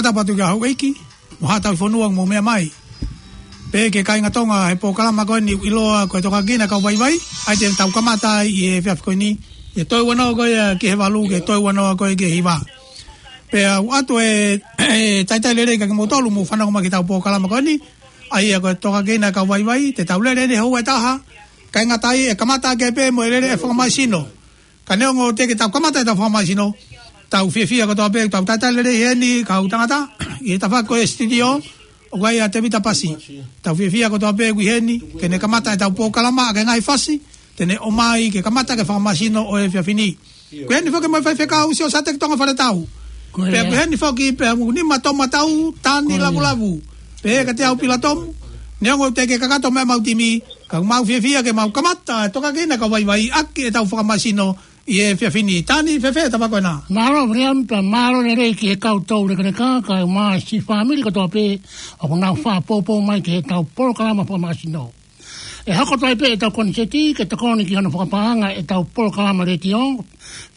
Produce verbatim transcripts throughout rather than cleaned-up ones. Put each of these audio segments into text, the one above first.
Tapu atu ki he houʻeiki mo haʻa tauhi fonua ʻoku mou meʻa mai. Pea ki he kāinga Tonga he polokalama ko eni ʻoku ʻiloa ko e Tokakina Kau Vaivai, ʻa ia te tau kamata ai ʻi he efiafi ko eni, ʻi he toe ua noa ko ia ki he valu, ki he toe ua noa ko ia ki he hiva. Pea ʻoatu e, e talitali lelei kiate kimoutolu ʻoku mou fanongo mai ki heʻetau polokalama ko eni, ʻa ia ko e Tokakina Kau Vaivai, te tau lele eni he houa ʻe taha, kae ʻikai ngata ai ʻe kamata ʻaki pē mo e lele ʻa e fakamālohisino. Ka neongo teʻeki ke tau kamata ʻetau fakamālohisino, tau fiefia kotoa pē, tau talitali lelei heni, kau tangata, ʻi he tafaʻaki ko ia e sititiō, ʻoku ʻi ai ʻa Tevita Pasi. Tau fiefia kotoa pē ʻoku ʻi heni, ke ne kamata ʻetau polokalama, ʻaki e ngaahi fasi te ne ʻomai ke kamata ʻaki e fakamālohisino ʻo e efiafi ni. ʻOku ʻi heni foki mo e faifekau Siosiate Tonga Faletau. Ko ia. Pea ʻoku ʻi heni foki pea mo Nima Tomatau, Tani Ko ia. Lavulavu. Pea kiate au Pila Tomu, neongo teʻeki ke kakato mai ʻemau timi, ka ʻoku mau fiefia ke mau kamata e Tokakina Kau Vaivai ʻaki ʻetau fakamālohisino ʻi he efiafi ni. Tani, fēfē tafaʻaki ko ena? Mālō Viliami, pea mālō lelei ki he kau toulekeleka, kae ʻumaʻā siʻi fāmili kotoa pē ʻoku nau fakapoupou mai ki heʻetau polokalama fakamālohisino. ʻE hoko atu ai pē ʻetau koniseti ke tokoni ki hono fakapaʻanga ʻetau polokalama letiō.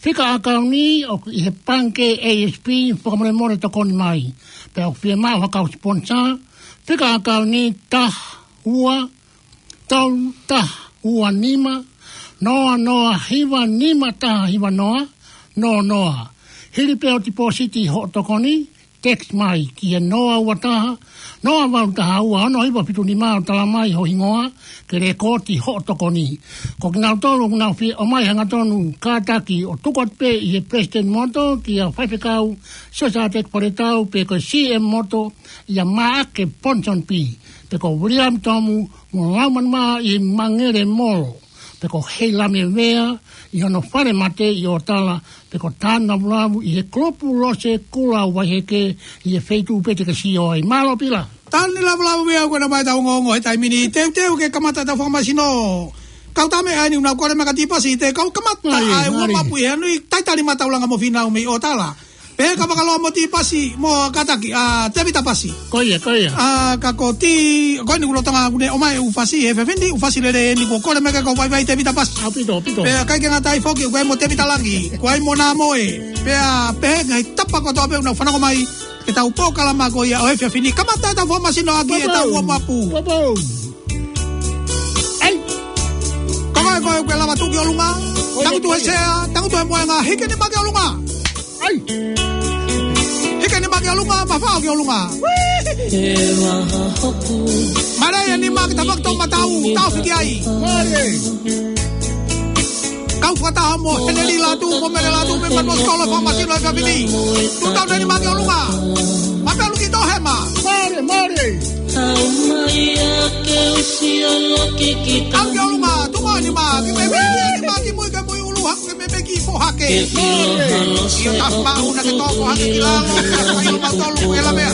Fika ʻakauni ʻoku ʻi he pangikē A S P, fakamolemole tokoni mai. Pea ʻoku fiemaʻu ha kau siponisa, fika ʻakauni taha ua tolu taha ua nima noa noa hiva nima taha hiva noa noa noa. Hili pē ʻo tipōsiti hoʻo tokoni, text mai ki he noa ua taha noa valu taha ua ono hiva fitu nima ʻo tala mai ho hingoa ke lēkooti hoʻo tokoni. Ko kinautolu ʻoku nau fie ʻomai hangatonu kātaki ʻo tuku atu pē ʻi he Palesiteni Motu kia Faifekau Siosiate Faletau pe ko e C M Motu ʻia Maʻake Ponson P pe ko Viliami Tomu mo Laumanimaʻa ʻi Mangele Molo, pe ko Heilame Vea ʻi hono fale mate ʻi ʻOtala, pe ko Tana Vulavu ʻi he kulupu Lose Kula Vaiheke ʻi he feituʻu pē te ke sio ai. Mālō Pila. Tani Lavulavu Vea, ko ena mai ʻetau ongoongo he taimi ni. Teuteu ke kamata ʻetau fakamālohisino. Kau tame ʻa eni ʻoku nau kole mai ka tī pasi, te kau kamata Mari, ʻa e mari. Uamapu ʻi he nui talitali mataulanga mo Fīnau mei ʻOtala. Pea ka fakaloa mo tī pasi, mo kātaki, ʻa Tevita Pasi. Ko ia, ko ia. ʻA, ka ko tī, ko eni ʻoku lolotonga ʻoku ne ʻomai e ʻū fasi he efiafi ni, ʻū fasi lelei eni kuo kole mai ʻe he kau vaivai Tevita Pasi. ʻAupito, ʻaupito. Pea ʻikai ke ngata ai foki, ʻoku ʻi ai mo Tevita Langi, ʻoku ʻi ai mo Nāmoe. Pea pehē ki he tapa kotoa pē ʻoku nau fanongo mai ki heʻetau polokalama ko ia ʻo e efiafi ni. Kamata ʻetau fakamālohisino ʻaki ʻetau uamapu. Uamapu. ʻAi. Ka ko e, ko e, ko e lava tuʻu ki ʻolunga. Tangutu he sea, tangutu he moenga, hiki e nima ki ʻolunga. ʻAi. Hiki e nima ki ʻolunga, mafaʻo ki ʻolunga. Mālie e nima ki tafaʻaki toʻomatau, taʻofi ki ai. Mālie. Kau fakataha mo Heneli Latu, mo Mele Latu, mei Manuʻa Sikolo, fakamālohisino e efiafi ni. Tuʻu talu e nima ki ʻolunga. Mapelu ki toʻohema. Mālie, mālie. Aʻu ki ʻolunga, tuʻu mai e nima, ki mei mei, nima ki mui, ki mui ʻulu, haku ki mei mei ki fohake. ʻIo, tafa maʻu na ke toko hake ki lalo, ʻio mautolu e lamea.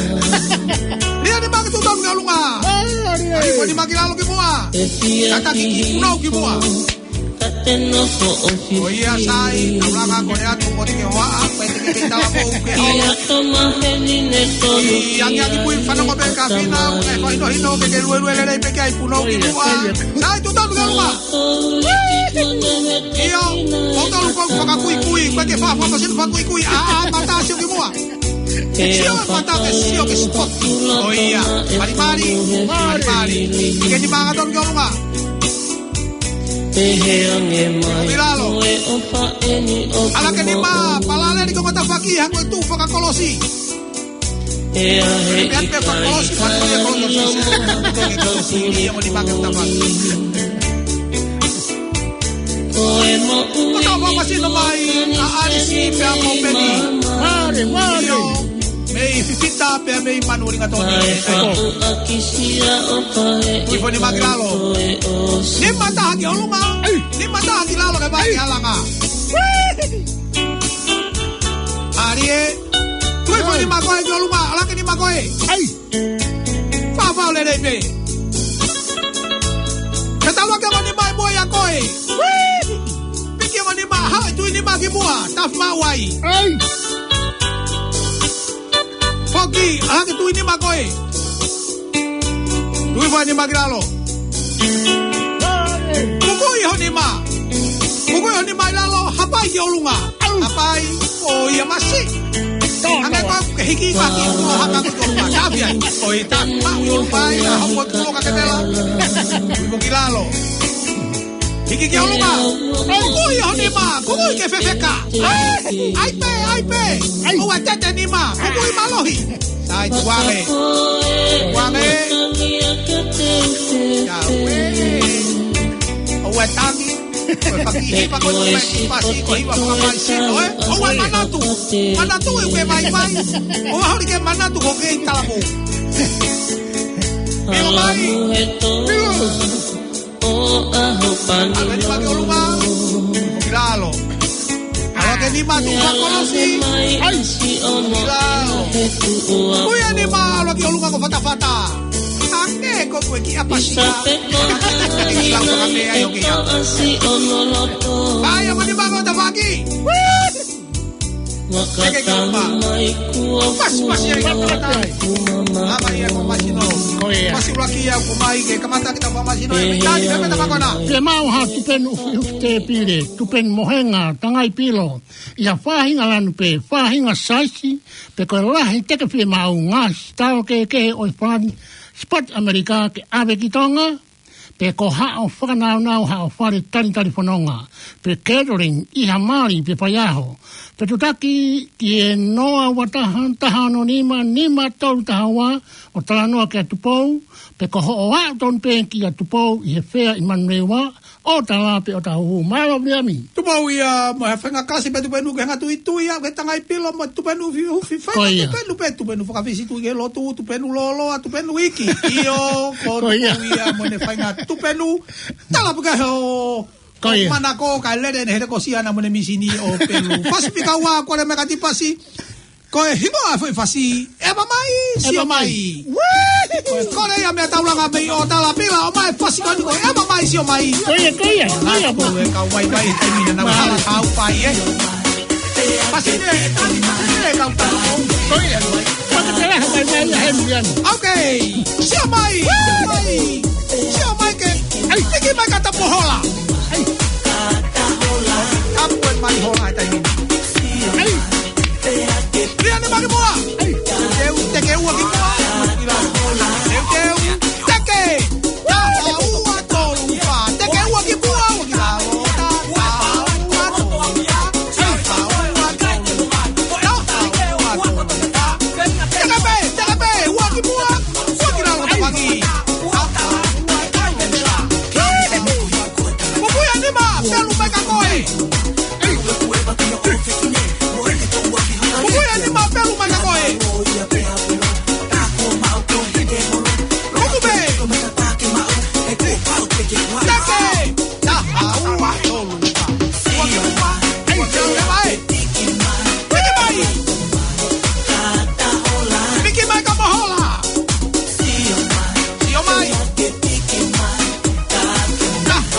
Lia nima ke tuʻu talu ki ʻolunga. Mālie. ʻAi, ko e nima ki lalo ki muʻa. Kātaki ki punou ki muʻa. Ko ia sai, taulanga ko e atu mo te ke hoa, ko e te ke talavou ke hoa. ʻI angiangi pui fanongo pē ka fina, ʻoku ne fakahinohino ke ke luelue lelei pē ki ai punou ki muʻa. Sai, tuʻu talu ki ʻolunga. ʻIo, mautolu ko e fakakuikui, ko e ke fa-, fa-, fa-, fakakuikui, ʻa, ʻa, mata sio ki muʻa. Sio e mata ke sio ki spot. Ko ia, malimali, malimali. Ke ni manga tonu ki ʻolunga. Ki lalo. ʻAlā ke nima, palaleli ko e tafaʻaki, hangē ko e tuʻu fakakolosi. Pea pē fakakolosi, fakakolosi, fakakolosi, ia mo nima ke tafaʻaki. Ko e fakamālohisino mai ʻa ʻAlisi pea mo Peni. Mālie, mālie. ʻIo, mei Fifita pea mei Manuʻulingatoni. Tuʻu hifo e nima ki lalo. Nima taha ki ʻolunga. ʻAi. Nima taha ki lalo ke vai ʻAlanga. Mālie. Tuʻu hifo e nima ko ē ki ʻolunga. ʻAlā ke nima ko ē. ʻAi. Faʻa faʻo lelei pē. Ke talu ake mo nima ʻi muʻa ʻia koe. Piki mo nima, haʻu e tuʻi nima ki muʻa, tafa maʻu ai. ʻAi. Foki, ʻalā ke tuʻi nima koe. Tuʻu hifo e nima ki lalo. Mukuʻi ho nima. Mukuʻi ho nima ʻi lalo, hapai ki ʻolunga. Hapai, ʻo ia masi. Hangē ko ē ke hiki ka ki ʻolunga, haka ko ʻolunga. Tāpia. ʻOi, tā, maʻu ʻolunga ia, hopo e pulo ka ke tela. Ui mo ki lalo. Hiki ki ʻolunga. Kukui ho nima, kukui ke fefeka. ʻAi pē, ʻai pē. ʻOua tete nima, kukui mālohi. Sai, tuange. Tuange. Ia, ue. ʻOua tangi. Ko e faki hiva ko e tupe ki pasi ko hiva fakamaisino, ē? ʻOua manatu. Manatu ʻe ʻikai vaivai. ʻOua holi ke manatu ko ke i talamo. Pilo mai. Pilo. ʻAve ni maki ʻolunga. Ki lalo. ʻAve ke nima tuʻu fakolosi. ʻAi. Ki lalo. Ui e nima ʻalu ki ʻolunga ko fatafata. Hangē ko ē ki ʻapasi. Ai, ʻalu ni mako tafaki. Teke ki ʻolunga. Pasi, pasi, ai, kamata. Ama ia ko masino. Ko ia. Pasi ʻuluaki ia ko mai ke kamata kita ko masino. Ia, ia, ia. Pea mau ha tupenu ufiufi tēpile, tupenu mohenga, tangai pilo. ʻI ha faʻahinga lanu pē, faʻahinga saisi, pe ko e lahi teke fiemaʻu, ngaahi sitao kehekehe ʻo e Falani, Sipoti ʻAmelika ke ʻave ki Tonga, pe ko haʻo fakanaunau, haʻo fale talitali fononga, pe catering ʻi ha mali pe faiʻaho, pe tutaki ki he noa ua taha, taha ono nima, nima tolu taha ua, ʻo talanoa kia Tupou, pe ko hoʻo aʻu tonu pē kia Tupou ʻi he fea ʻi Manurewa, ʻo tala pe ʻo tahu. Mālō Viliami. Tupou ia, mo e faʻahinga kasi pē tupenu ke hanga tuitui ia, ke tangai pilo mo tupenu ufiufi, faʻahinga tupenu pē, tupenu fakafisi tui ke lotu, tupenu lōloa, tupenu iiki. ʻIo, ko Tupou ia mo ʻene faʻahinga tupenu. Tala pe ka ho, ko ia. Manako ka lele ne hele ko Siana mo ʻene misini ʻo pelu. Pasifika ua, ko le meka ti pasi. Ko e hingoa foʻi fasi, ʻEva Mai, Sio Mai. Ko e kole ia mea taulanga mei ʻo tala pila, ʻomai fasi ko eni ko e ʻEva Mai, Sio Mai. Ko ia, ko ia, ko ia, ko e kau vaivai he taimi na nau hala kau pai, ē. Fasi ne, ne kau tau. Ko ia. Fasi ne, ne kau tau. Ok. Sio Mai, Sio Mai. Sio Mai ke. ʻAi. Tiki mai ka tapu hola. ʻAi. Tapu mai hola he taimi. ʻAi. Pia ne maki mua. Teu, teke ua ki mua. Teu, teu, teke. Taha ua tolu fā. Teke ua ki mua, ua ki lalo. Taha ua tolu fā. Taha ua tolu fā. Taha ua tolu fā. Teke pē, teke pē, ua ki mua, ua ki lalo, tafaki. Taha ua tolu fā. Kukuia nima, pelu mai ka koe. Kuku ia ni ma pelu mai ka koe. Kuku pē. Teke. Taha ua tolu. Ua ki ua. Ua ki ua. Piki mai. Piki mai ka mohola. Sio mai. Taha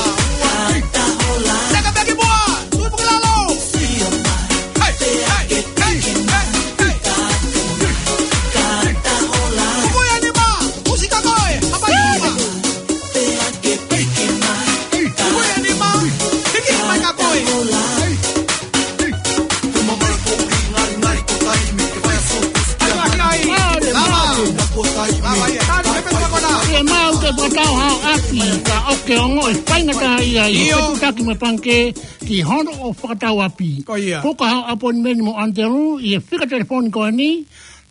ua. Teka peki mua. Tui puki lalo. Hei, hei, hei, hei, hei. Kukuia nima, usi ka koe, hapai nima. Kukuia nima, hiki mai ka koe. Ai, ai, ai. Lava. Lava, ia. Tani, pepe, tama, kona. Ia mau ke fakatau ha ʻapi, ka ʻoku ke ongoʻi faingataʻaʻia ʻi he ʻIo. Fetutaki mo e pangikē, ki hono ʻo fakatau ʻapi. Ko ia. Puka haʻo ʻapoinimeni mo ʻAnitelū ʻi he fika telefoni ko eni,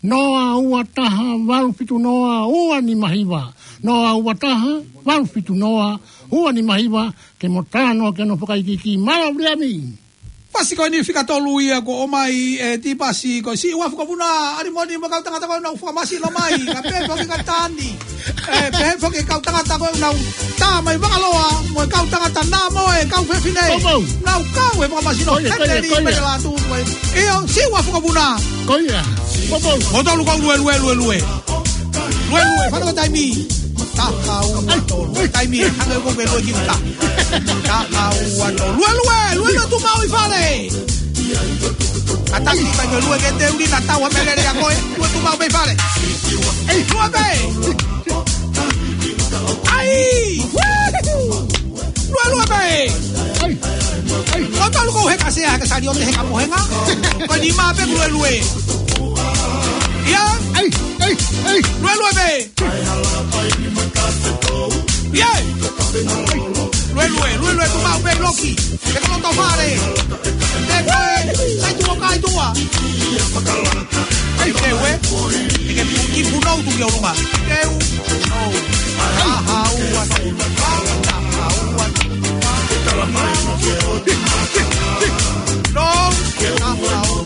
noa ua taha valu fitu noa ua nima hiva. Noa ua taha valu fitu noa ua nima hiva, ke mo talanoa ki hono fakaikiiki. Mālō Viliami. Pasi ko eni fika tolu ia kuo ʻomai ʻe Tipasi, ko e Siʻi Uafu Kavuna, ʻalimoni mo e kau tangata ko ē naʻa nau fakamasi lōmai, ka pehē foki ka Tani. ʻE, pehē foki kau tangata ko ē naʻa nau tā mai Vangaloa, mo e kau tangata nā mo e kau fefine. Ko ia. Naʻa nau kau he fakamasi lōmai. Ko ia, ko ia, ko ia. Heneli Mele Lātū, ko e. ʻIo, Siʻi Uafu Kavuna. Ko ia. Ko ia. Mo tolu ko Luelue, Luelue. Luelue, fano taimi. Taha ua tolu. Taimi, hanga ko ke lue ki uta. Taha ua tolu. Luelue, Luelue tuʻu maʻu ʻi fale. Ka taki kai ke lue ke te uli na tau ha melele ʻa koe. Lue tuʻu maʻu pē ʻi fale. Ei, lue pē. ʻAi! Luelue pē. Ai, ai. Ko tolu ko he kasea, he kasali o te he kamohenga. Ko nima pē Luelue. ʻIa. ʻEi, ʻei, ʻei. Luelue pē. ʻIa. Luelue, luelue, tuʻu maʻu pē ʻi loki. Ke koloto fale. Te koe, sai tuʻa kai tuʻa. ʻEi, te ue. Te ke pu-, ki punou tuʻu ki ʻolunga. Te u. Oh. Aha, ua, taha, ua. No. Aha, ua.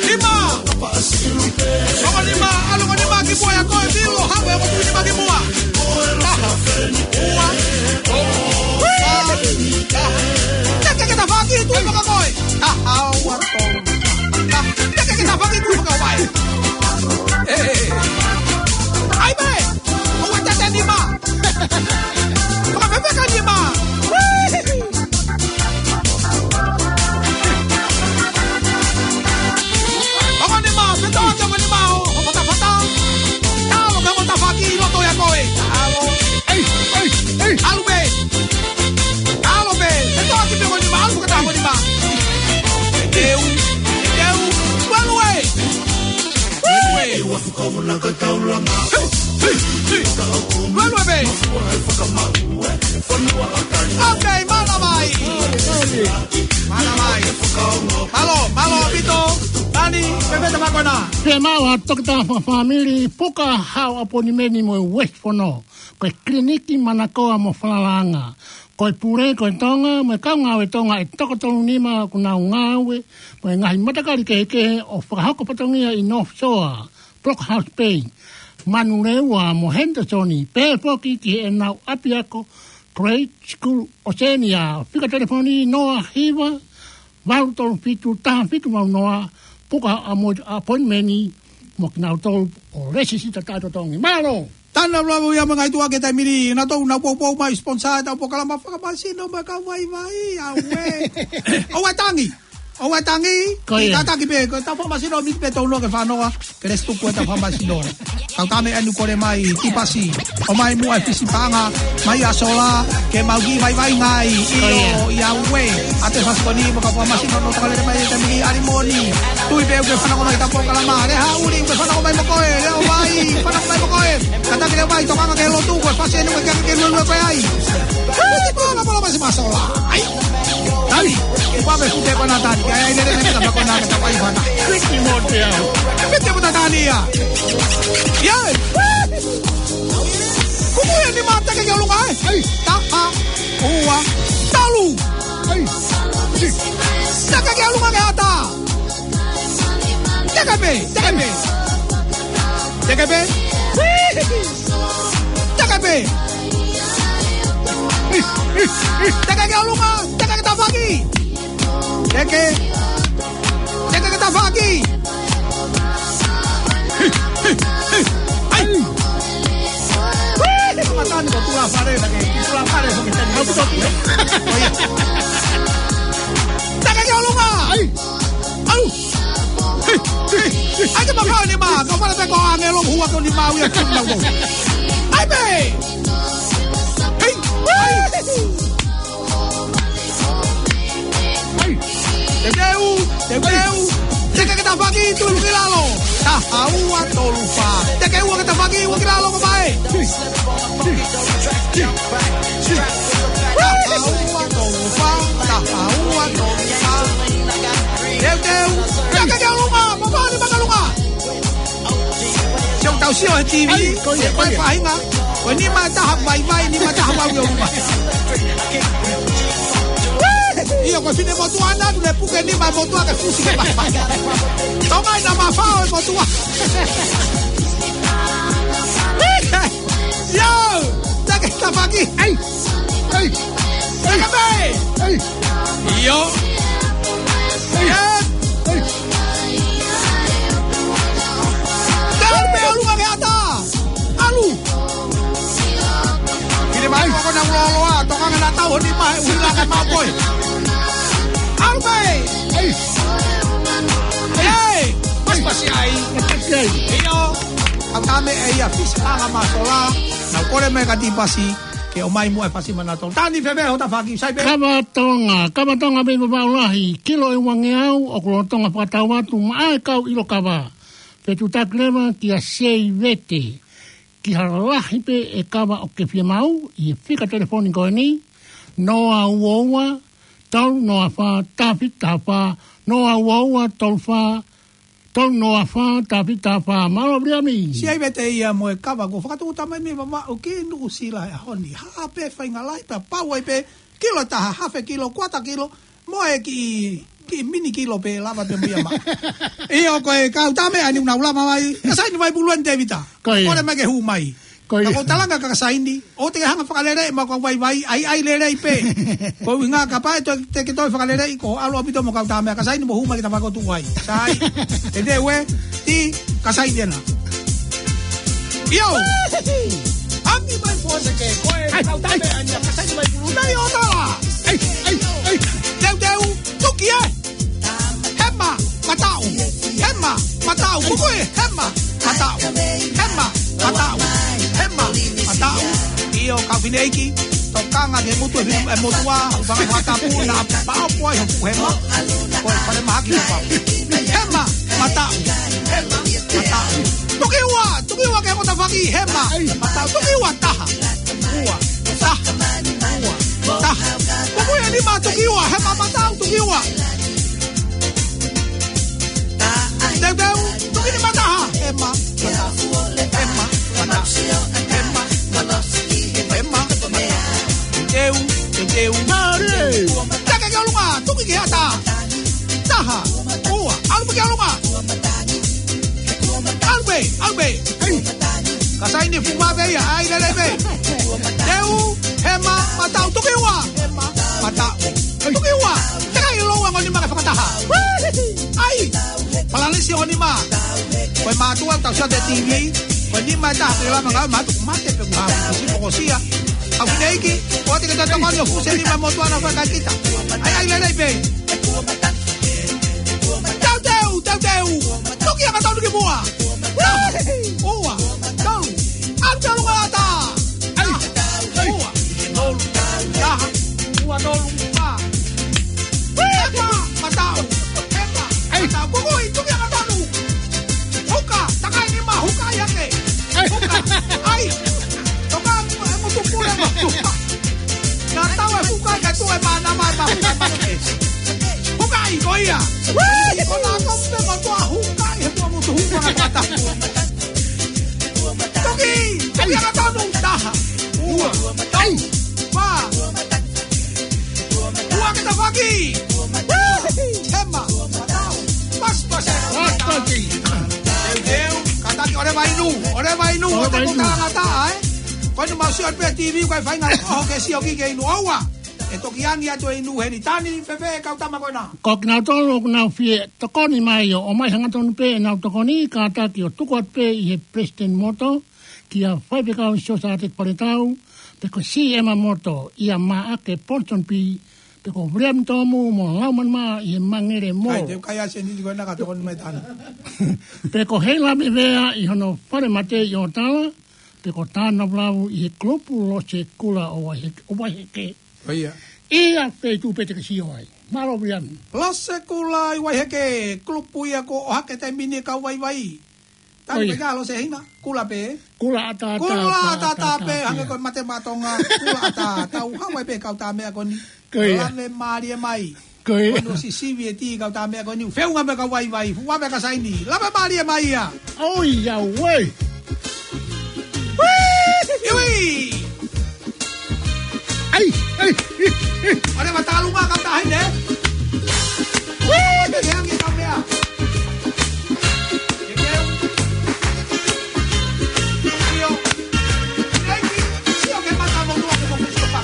Nima! Ongo nima, ʻalu ongo nima ki muʻa ʻia koe, Vilo, haʻu e ongo nima ki muʻa. Taha, ua, tolu, taha. Teke ke tafaʻaki, tuʻu ʻi fakakoe. Taha, ua, tolu, taha. Teke ke tafaʻaki, tuʻu ʻi fakakoe. ʻE, ʻe, ʻe. ʻAi pē, ʻoua te te nima. Fakafepeka nima. Ongo nima, petoa ke ongo nima ʻo, ʻo fatafata. Talo ke ongo tafaʻaki ʻi loto ʻia koe. Talo. ʻEi, ʻei, ʻei. ʻAlu pē. ʻAlu pē. Petoa ke ongo nima, ʻalu ke ongo nima. Teu, teu, value. Value. Value, babe. Ok, mālō mai. Mālō mai. Mālō, mālō ʻaupito. Tani, pepeta makona. Pea mālō ʻa Toketā Fakafāmili, puka haʻo ʻaponimeni mo e West Fono. Ko e kiliniki manakoa mo falalaʻanga. Ko e pule ko e Tonga, mo e kau ngāue Tonga ʻe toko tolu nima ʻoku nau ngāue, mo e ngaahi matakali kehekehe ʻo fakahoko fatongia ʻi North Shore, Block House Bay, Manurewa mo Henderson, pea foki ki heʻenau ʻapiako, Grade School, ʻo seni ʻa e fika telefoni noa hiva, valu tolu fitu, taha fitu valu noa, puka ʻa mo appointment mo kinautolu ʻo lēsisita taʻetotongi. Mālō! Tana lava ia mo e ngaahi tuʻa ke taimi ni, nautolu nau poupou mai sponsor ʻetau polokalama fakamasino mo e kau vaivai, ʻauē. ʻOua tangi. ʻOua tangi. Ko ia. Tataki pē, ko ʻetau fakamasino miti pē tau noa ke fanoa, ke lesi tuku ʻetau fakamasino. Kau tame anu kole mai, ki pasi. ʻOmai muʻa e fisi paʻanga, mai ʻa sola, ke mau kiʻi vaivai ngai, ko ia. ʻIo, ʻauē. ʻA e fasikoni, mo e kau fakamasino, no takalele mai, e taimi ni, ʻalimoni. Tui pē ʻoku ke fanongo mai ʻetau polokalama, Lehaʻuli, ʻoku ke fanongo mai mo koe, Leʻo Vai, fanongo mai mo koe. Kātaki Leʻo Vai, tokanga ki he lotu, ko e fasi eni ko e ke, ke luelue ko e ai. Hei, pala, pala, masi masola. ʻAi. Tani, ʻi pame fute ko na Tani, ʻai, ʻai, lele, lele, tapa ko na, tapa ʻi fana. Fiti mo te au. Fiti mo ta Tani ia. Ia. Kuku ia ni mata ke ke ʻolunga, ē? ʻEi. Taha, ua, tolu. ʻEi. Teke ke ʻolunga ke ata. Teke pē, teke pē. Teke pē. Teke pē. Teke ke ʻolunga, teke ke tafaʻaki. Teke. Teke ke tafaʻaki. ʻAi. Matani ko tula fale, lagi tula fale, so kita mau betul. Oh, iya. Teke ke ʻolunga. ʻAi. ʻAlu. ʻAi ke mafao ni ma, kau fale pe ko ange lo hua ko ni ma uia kau nau. ʻAi pē. ʻAi. ʻAi. Te teu, te teu. Teke ke tafaʻaki, tuʻu ki lalo. Taha ua tolu fā. Teke ua ke tafaʻaki, ua ki lalo ko pae. Taha ua tolu fā, taha ua tolu fā. Teu, teu. Teke ke ʻolunga, mapani makalunga. Sio tau sio he T V, ʻAi, ko ia, ko e ko ia. Faʻahinga. Ko e nima ʻe taha vaivai, nima ʻe taha vau ʻi ʻolunga. ʻIo, ko e finemotuʻa na, tu le puke nima e motuʻa ke fusi ke vaivai. Tonga ina mafao e motuʻa. ʻIo, teke tafaʻaki. ʻAi, ʻai, teke pē. ʻAi. ʻIo. ʻAi. ʻAi. ʻAlu pē ʻolunga ke ata. ʻAlu. Kile mai ko na loloa, tokanga na tau ni mai, ui la ka mau koe. ʻAlu pē. ʻEi. ʻEi. Pasipasi ai. Pasipasi ai. ʻIo. Au tame e ia fisi anga masola. Nau kole mai ka tipasi. Ke ʻomai muʻa e fasi manatu. Tani Fefē Hotafaki, sai pē. Kava Tonga, Kava Tonga mei Vavaʻu Lahi, kilo ʻe uangeau, ʻoku lolotonga fakatau atu maʻa e kau ʻilo kava. Fetuʻutaki leva kia Seivete, ki ha lahi pē e kava ʻoku ke fiemaʻu, ʻi he fika telefoni ko eni, noa ua ua, tolu noa fā, taha fitu taha fā, noa ua ua, tolu fā, tolu noa fā, taha fitu taha fā, mālō Viliami. Seivete ia mo e kava kuo fakatūʻuta mai mei Vavaʻu ki Nuʻusila he ʻaho ni. Hā pē faʻahinga lahi pē, pau ai pē, kilo ʻe taha, hafe kilo, kuata kilo, mo e kiʻi, kiʻi mini kilo pē lava pē mo ia maʻu. ʻIo ko e kau tā meʻa ni ʻoku nau lava mai, Kasaini Vaipulu eni Tēvita. Ko ia. Kole mai ke hū mai. Ko ia. Ka ko e talanga kia Kasaini, ʻoua te ke hanga ʻo fakaleleiʻi maʻa e kau vaivai, ʻai, ʻai lelei pē. Ko e ʻuhinga kapau ʻe toe, te ke toe fakaleleiʻi ko e ʻalu ʻaupito mo e kau tā meʻa, Kasaini mou hū mai ke ta fakotu ai. Sai, ʻe te ue, ti, Kasaini ena. ʻIo. Angi mai pō se ke, ko e kau tā meʻa ni, Kasaini Vaipulu. Nai ʻo tala. Ai, ai, ai. Teuteu, tuki ē. Hema, mataʻu. Hema, mataʻu. Kukui, hema, mataʻu. Hema, mataʻu. Hema, mataʻu. ʻIo, kau fineʻeiki, tokanga ki he ngutu ʻe he motuʻa, ʻo fanga fakatapu, naʻa paʻo pua ʻi hoku hema. Ko e fale mahaki ko pau. Hema, mataʻu. Hema, mataʻu. Tuki ua, tuki ua ki he Hotafaki, hema, mataʻu. Tuki ua, taha. Ua, taha, ua, taha. Kukui ʻe nima, tuki ua, hema, mataʻu, tuki ua. Teuteu, tuki nima, taha, hema, mataʻu, hema, mataʻu, hema, mataʻu, hema, mataʻu. Teuteu, teuteu. Mālie. Teke ki ʻolunga, tuki ki he ʻatā. Taha, ua, ʻalu pē ki ʻolunga. ʻAlu pē, ʻalu pē. Hei. Kasaini fuʻu vave ia, ʻai lelei pē. Teu, hema, mataʻu, tuki ua. Hema, mataʻu, tuki ua. Teʻeki ai lou ango nima ke fakataha. ʻAi. Palanisi ʻo nima. Ko e mātuʻa tau sio atu he T V. Ko e nima ʻe taha ke lava ngāue mātuʻa mate pe kuo hā. Kusi pokosia. Au fineʻeiki, ʻoua te ke tatau mani ʻo fusi e nima motuʻa na fai kai kita. ʻAi, ʻai lelei pē. Teuteu, teuteu. Tuki anga tonu ki muʻa. Ua, tolu. ʻAlu ki ʻolunga ʻatā. Ua, tolu, taha, ua, tolu, fā. Hema, mataʻu. Hema, mataʻu. Kukui, tuki anga tonu. Huka, takai nima, huka ia ke. Huka, ʻai. Toka, e ngutu pule, ngutu. Naʻa tau e huka, ka tu e mana, mana, mana, mana. Huka ʻi ko ia. Ko na ko pe ko tua huka ʻi he tua mutu huka na kata. Toki, toki anga tonu, taha. Ua, ai. Fā. Ua ke tafaki. Hema, mataʻu. Pas, pas. Pas, pas. Teuteu, kātaki ʻoleva inu, ʻoleva inu, ʻoleva inu. Ko e inu mau sio pē T V, ko e faʻahinga ʻoho ke sio ki ke inu ʻoua. ʻE toki angi atu e inu heni. Tani Fefē, kau tama ko ena. Ko kinautolu ʻoku nau fie tokoni mai ʻo ʻomai hangatonu pē ʻenau tokoni, kātaki ʻo tuku atu pē ʻi he Palesiteni Moto, kia Faifekau Siosiate Paletau, pe ko Siema Moto, ʻia Maʻake Ponsonby, pe ko Viliami Tomu mo Laumani Mā ʻi he Mangele Mall. Kai, te u kai ʻa e sēniti ko ena ka tokoni mai Tani. Pe ko Heilami Vea ʻi hono fale mate ʻi ʻOtala, pe ko Tānavulavu ʻi he kulupu Lose Kula ʻo Vaiheke, ʻo Vaiheke. ʻIo. ʻIa feituʻu pē te ke sio ai. Mālō Viliami. Lose Kula ʻi Vaiheke, kulupu ia ko ʻohake taimi ni kau vaivai. Tau ʻIo. Pē ka Lose hina, kula pē. Kula ʻatā, ʻatā, kula ʻatā, ʻatā, ʻatā, ʻatā pē, hangē ko e mate maʻa Tonga, kula ʻatā, tau haʻu ai pē kau tā meʻa ko eni. Ko ia. Lave mālie mai. Ko ia. Ko eni ʻosi sivi e tī kau tā meʻa ko eni. Feʻunga mo e kau vaivai, fuʻu vave Kasaini. Lave mālie mai ia. ʻOi, ʻauē. Iwi. Ai, ai, ai, ai. ʻOleva tālunga kau tā hine. Te ke angi kau meʻa. Te ke u. Sio. Sio ke mata mo nua ke mo sio pa.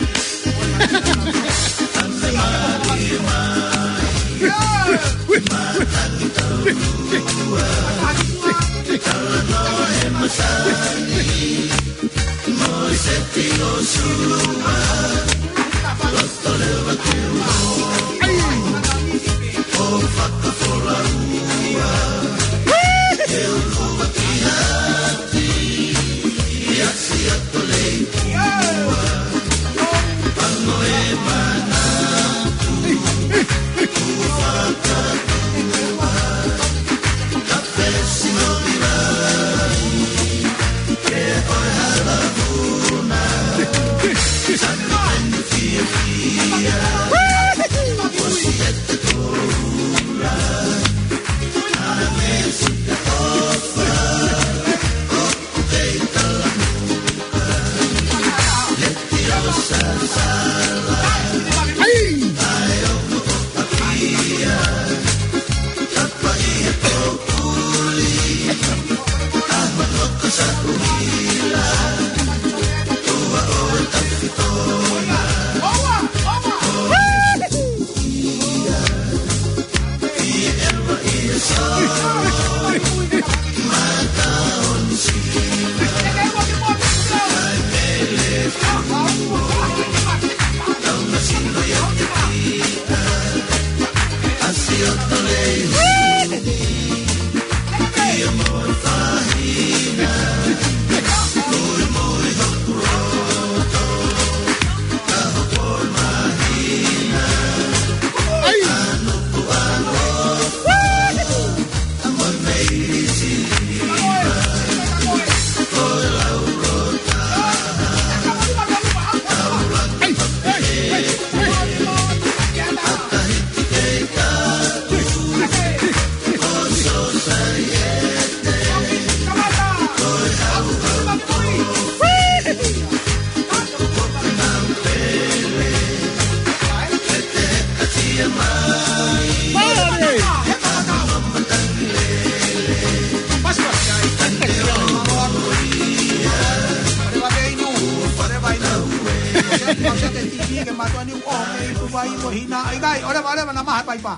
Kau sete T V ke mātuʻa ni ʻoku ʻoho mei Tuvai mo Hina. ʻIkai, ʻoleva, ʻoleva, naʻa maha paipa.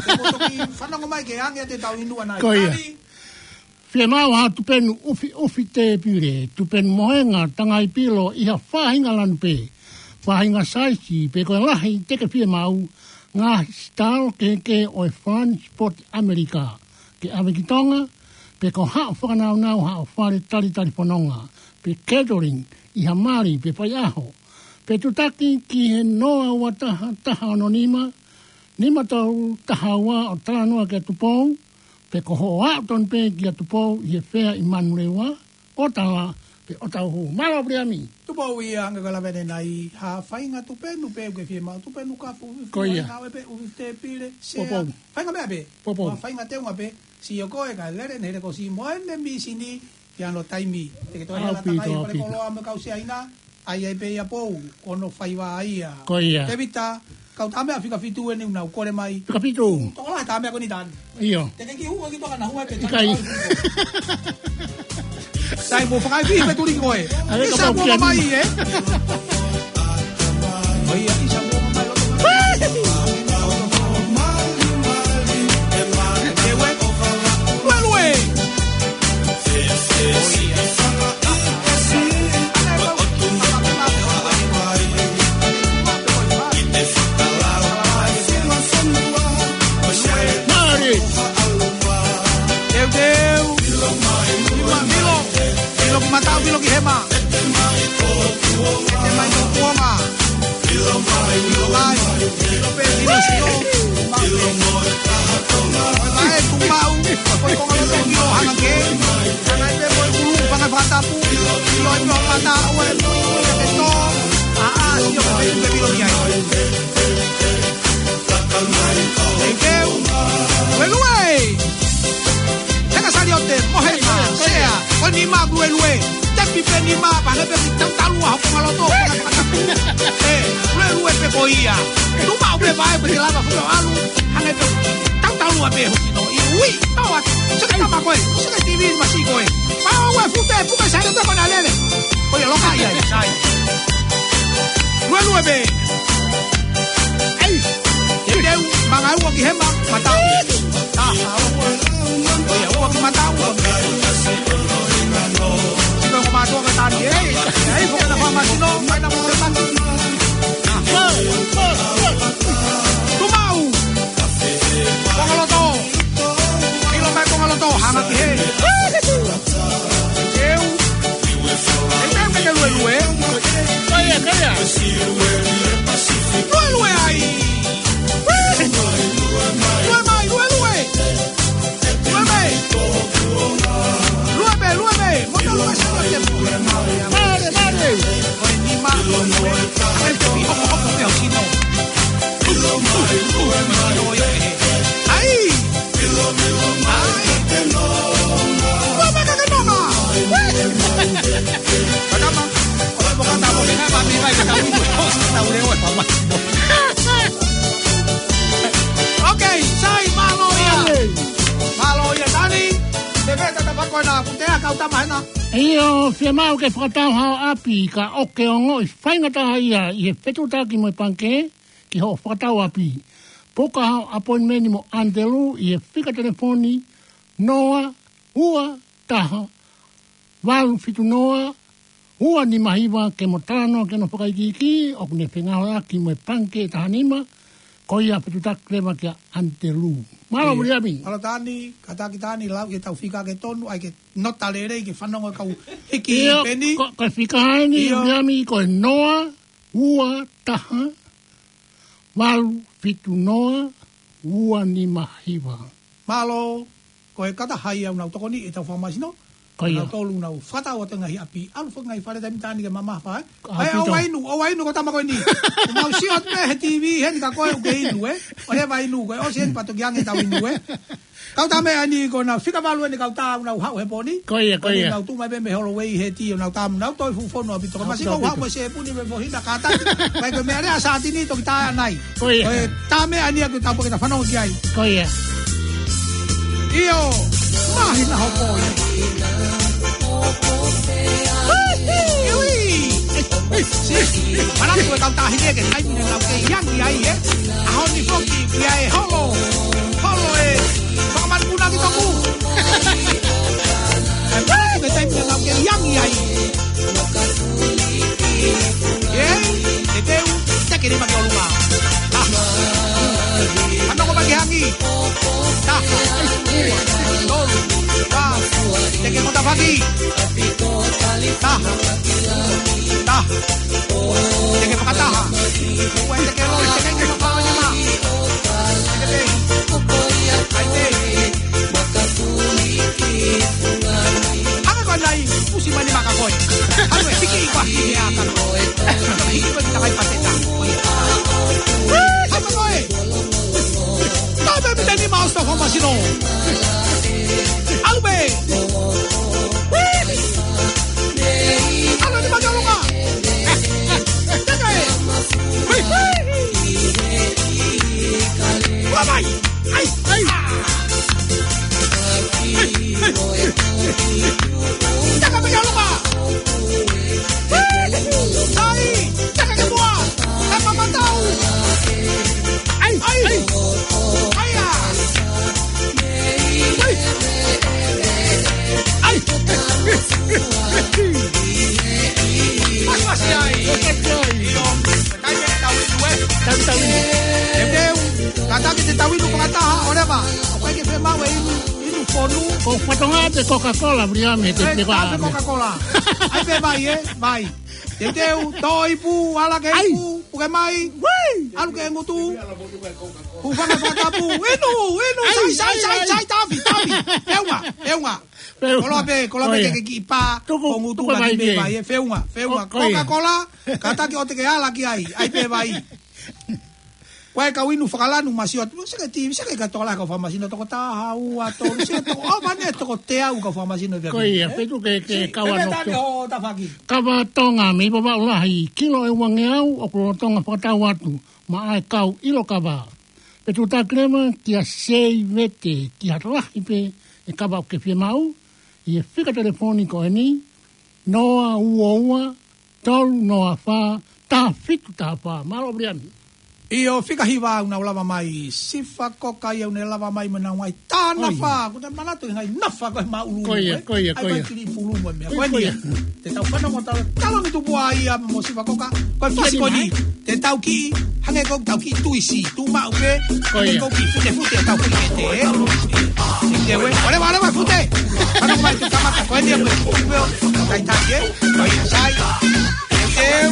Te u toki fanongo mai ke ange ʻetau inu ʻanai. Ko ia. Tali. Fiemaʻu ha tupenu ʻufiʻufi tēpile, tupenu mohenga tangai pilo ʻi ha faʻahinga lanu pē, faʻahinga saisi pe ko e lahi te ke fiemaʻu, ngaahi sitalo kehekehe ʻo e Flying Spot ʻAmelika, ke ʻave ki Tonga, pe ko haʻo fakanaunau haʻo fale talitali fononga, pe catering ʻi ha mali pe faiʻaho, pe tutaki ki he noa ua taha taha ono nima, nima tolu taha ua ʻo talanoa kia Tupou, pe ko hoʻo aʻu tonu pē kia Tupou ʻi he fea ʻi Manurewa, ʻo tala pe ʻo tauhu. Mālō Viliami. Tupou ia, hangē ko e lave ʻanenai, ha faʻahinga tupenu pē ʻoku ke fiemaʻu, tupenu kafu, ʻufi, ko ia, ngāue pē, ʻufi tēpile, sea. Poupou. Faʻahinga meʻa pē. Poupou. Ha faʻahinga teunga pē, sio ko e kae lele ʻene hele ko si mo ʻene mīsini, ki hano taimi. Te ke toe ʻaupito, hela takai, pale ʻaupito. Koloa mo e kau Siaina, ʻai ai pē ia Pou, ko hono faiva ia. Ko ia. Tēvita, kau tā meʻa fika fitu eni ʻoku nau kole mai. Fika fitu. Tokolahi tā meʻa ko eni Tani. ʻIo. Te ke kiʻi hū ki Tonga naʻa hū ai pē Tani. ʻIkai. Sai mo fakaʻi pē tuli koe. ʻAve ka ʻIsa pau mo kiani. Mai, ē? ʻO ia, ʻisa mo mai loto mai. Lue, lue. Mālie. Teuteu. Milo, milo. Milo ki Mataʻu, milo ki Hema. Hema i Tokuonga. Milo mai, milo pē, milo sio. Milo mai, Tuʻi Maʻu. Ko e konga loto milo hanga ke. Hanga pē ko e ʻulu, hanga fakatapu. Milo i milo mata, ʻo e mui, ʻo e ke tō. ʻA, ʻa, sio pē, pē, milo ki ai. Thank you. Lue, lue. Heka Saliote, mohenga, sea, ko e nima, lue, lue. Tepi pē nima, pale pē ki tautalu, ʻa hopo ngaloto. ʻE, lue, lue pē ko ia. Tuʻi Maʻu pē vae, pē te lava fuka alu. Hanga pē tautalu ʻa pē hoki no. ʻI ui, tau atu. Seke tama koe, seke T V masi koe. Pau ue fute, puka Saliote ko na lele. Ko ia loka ia, sai. Lue, lue pē. ʻEi, teuteu, manga ua ki Hema, Mataʻu. Taha ua. ʻO ia, ua ki Mataʻu, ua ki. Sio ko mātuʻa ka Tani, ē. ʻEi, ko kena fā masino, mai na mo te mati. Tuʻi Maʻu. Konga loto. Ilo mai konga loto, hanga ki he. Teu. ʻE teu ke te lue lue. Ko ia, ko ia. Lue lue ai. Lue mai, lue lue. Lue mai. Lue mai, lue mai. Mo te lue sa lue te. Mālie, mālie. Ko e nima, lue. Ai, te pi hopo, hopo, te o sino. Ai! Ai! Ua mai ka ke nonga! Kakama, ua mo kata mo ke ngai mami mai ka tau iku, tau leo e pama. Ok, sai, mālō ia. Mālō ia, Tani. Te veta ta fako na, kutea kau tama hena. ʻIo, fiemaʻu ke fakatau haʻo ʻapi, ka ʻoku ke ongoʻi faingataʻa ia ʻi he fetuʻutaki mo e pangikē, ki hoʻo fakatau ʻapi. Puka haʻo appointment mo ʻAnitelū ʻi he fika telefoni noa ua taha valu fitu noa ua nima hiva ke mo talanoa ki hono fakaikiiki, ʻoku ne fengāueʻaki mo e pangikē taha nima, ko ia fetuʻutaki leva kia ʻAnitelū. Mālō, ʻIo. Viliami. Mālō Tani, kātaki Tani, lau ke tau fika ke tonu, ʻai ke nota lelei ke fanongo kau hiki ʻIo, peni. ko, ko e fika eni, ʻIo. Viliami, ko e noa ua taha valu fitu noa ua nima hiva. Mālō, ko e kātaki ia ʻoku nau tokoni ʻetau fakamasino. Ko ia. Nau tolu nau fakatau atu ngaahi ʻapi, ʻalu fakaʻaongaʻi fale taimi tāni ke mamafa, ē? ʻAupito. ʻOua inu, ʻoua inu ko tama ko eni. Nau sio atu pē he T V, heni ka koe ʻoku ke inu, ē? ʻOua inu, ko e ʻosi heni pea toki ange tau inu, ē? Kau tā meʻa ni ko na fika valu eni kau tā ʻoku nau haʻu he pō ni. Ko ia, ko ia. Ko ia nau tuʻu mai pē mei Holloway he tī ʻo nau tā mo nau toe fuʻu fonu ʻaupito. Ko e masi ko haʻu mo e sepuni me fohina kātaki. Mai ko e meʻa lea Sātini toki tā ʻanai. Ko ia. Ko e tā meʻa ni ʻoku tau pō ke ta fanongo ki ai. Ko ia. ʻIo. Māhina hopo ia. Ui. Si. Manatu e kau Tahi ke taimi naʻa nau kei angi ai, ē. ʻAho ni foki, ʻoku ʻi ai e holo. Holo ē. Fakamanupuna ki toku. Tahi ke taimi naʻa nau kei angi ai. ʻEi, teuteu, teke nima ki ʻolunga. Ah. Fanongo mai ki he angi. Taha, ua, tolu, ua, teke mo tafaʻaki. Taha, taha. Teke fakataha. Ua, teke loi, teke nima, fakamanupuna. Teke pē. ʻAi pē. Hanga ko ena ʻo pusi mai ni maka koe. Hanga ʻe hiki ʻi kua hiki ʻe aka. Hiki koe ki takai pateta. Hanga koe. Tabe mi teni ma osto fakamasino. ʻAlu pē. ʻAlu ni ma ki ʻolunga. Teke. Ua mai. ʻAi, ʻai. Taka mai ʻolunga. ʻAi, taka ke mua. Taka matau. ʻAi, ʻai. ʻAi, ʻa. ʻAi. ʻAi. Masi, masi ai. ʻIo. Kātaki te tau inu, ē. Tau, tau inu. Teuteu, kātaki te tau inu fakataha, ʻoleva. ʻOku ʻikai ke fiemaʻu e inu, inu fonu. Ko fatongia te Coca-Cola, Viliami, te ʻIkai, peka. Coca-Cola. ʻAi pē vai, ē, vai. Teuteu, tō ipu, ala ke ipu, puke mai. ʻAlu ke ngutu. Hūfanga he fakatapu. Inu, inu, sai, sai, sai, sai, tafi, tafi. Feʻunga, feʻunga. Koloa pē, koloa pē ke ke kiʻi pā. Tuku, ko ngutu tuku ka mai ki pē vai, ē, feʻunga, feʻunga. Ko ia. Coca-Cola, kātaki ʻoua te ke ala ki ai, ʻai pē vai. Ko e kau inu fakalanu masiʻi atu, seke ti, seke ka tola kau fakamasino toko taha, ua, tolu, seke toko, ʻo mane toko teau kau fakamasino pē. Ko ia, pē tuku ke, ke kau anu. Pē tani ho tafaʻaki. Kava Tonga, mei Vavaʻu Lahi, kilo ʻe uangeau, ʻoku lolotonga fakatau atu, maʻa e kau ʻilo kava. Pē tuku taʻeʻaonga kia Sei Vete, ki ha lahi pē e kava ʻoku ke fiemaʻu, ʻi he fika telefoni ko eni, noa ua ua, tolu noa fā, taha fitu taha fā. Mālō, Viliami. ʻIo, fika hiva ʻoku nau lava mai, Sifa Koka ia ʻoku ne lava mai mo ʻenau ngaahi tā nafa, ʻio. Ko e manatu e ngaahi nafa ko e māʻulū, ko ia, ē? Ko ia, ko ia. ʻAi ko e kili pulu mo e meʻa. Ko ia, ko ia. Ko eni, te tau fanongo tala, tala ni tupua ia mo Sifa Koka, ko e fasi ko eni. Te tau kiʻi, hangē ko ʻetau kiʻi tuisi, tuʻu maʻu pē, ko ia. Hangē ko e kiʻi futefute ʻetau kiʻi kete, ē? Teuteu ē, ʻoleva, ʻoleva fute. Fanongo mai te kamata, ko eni ē, ko e kiʻi peo, tai tai ē, ko ia sai. Teuteu,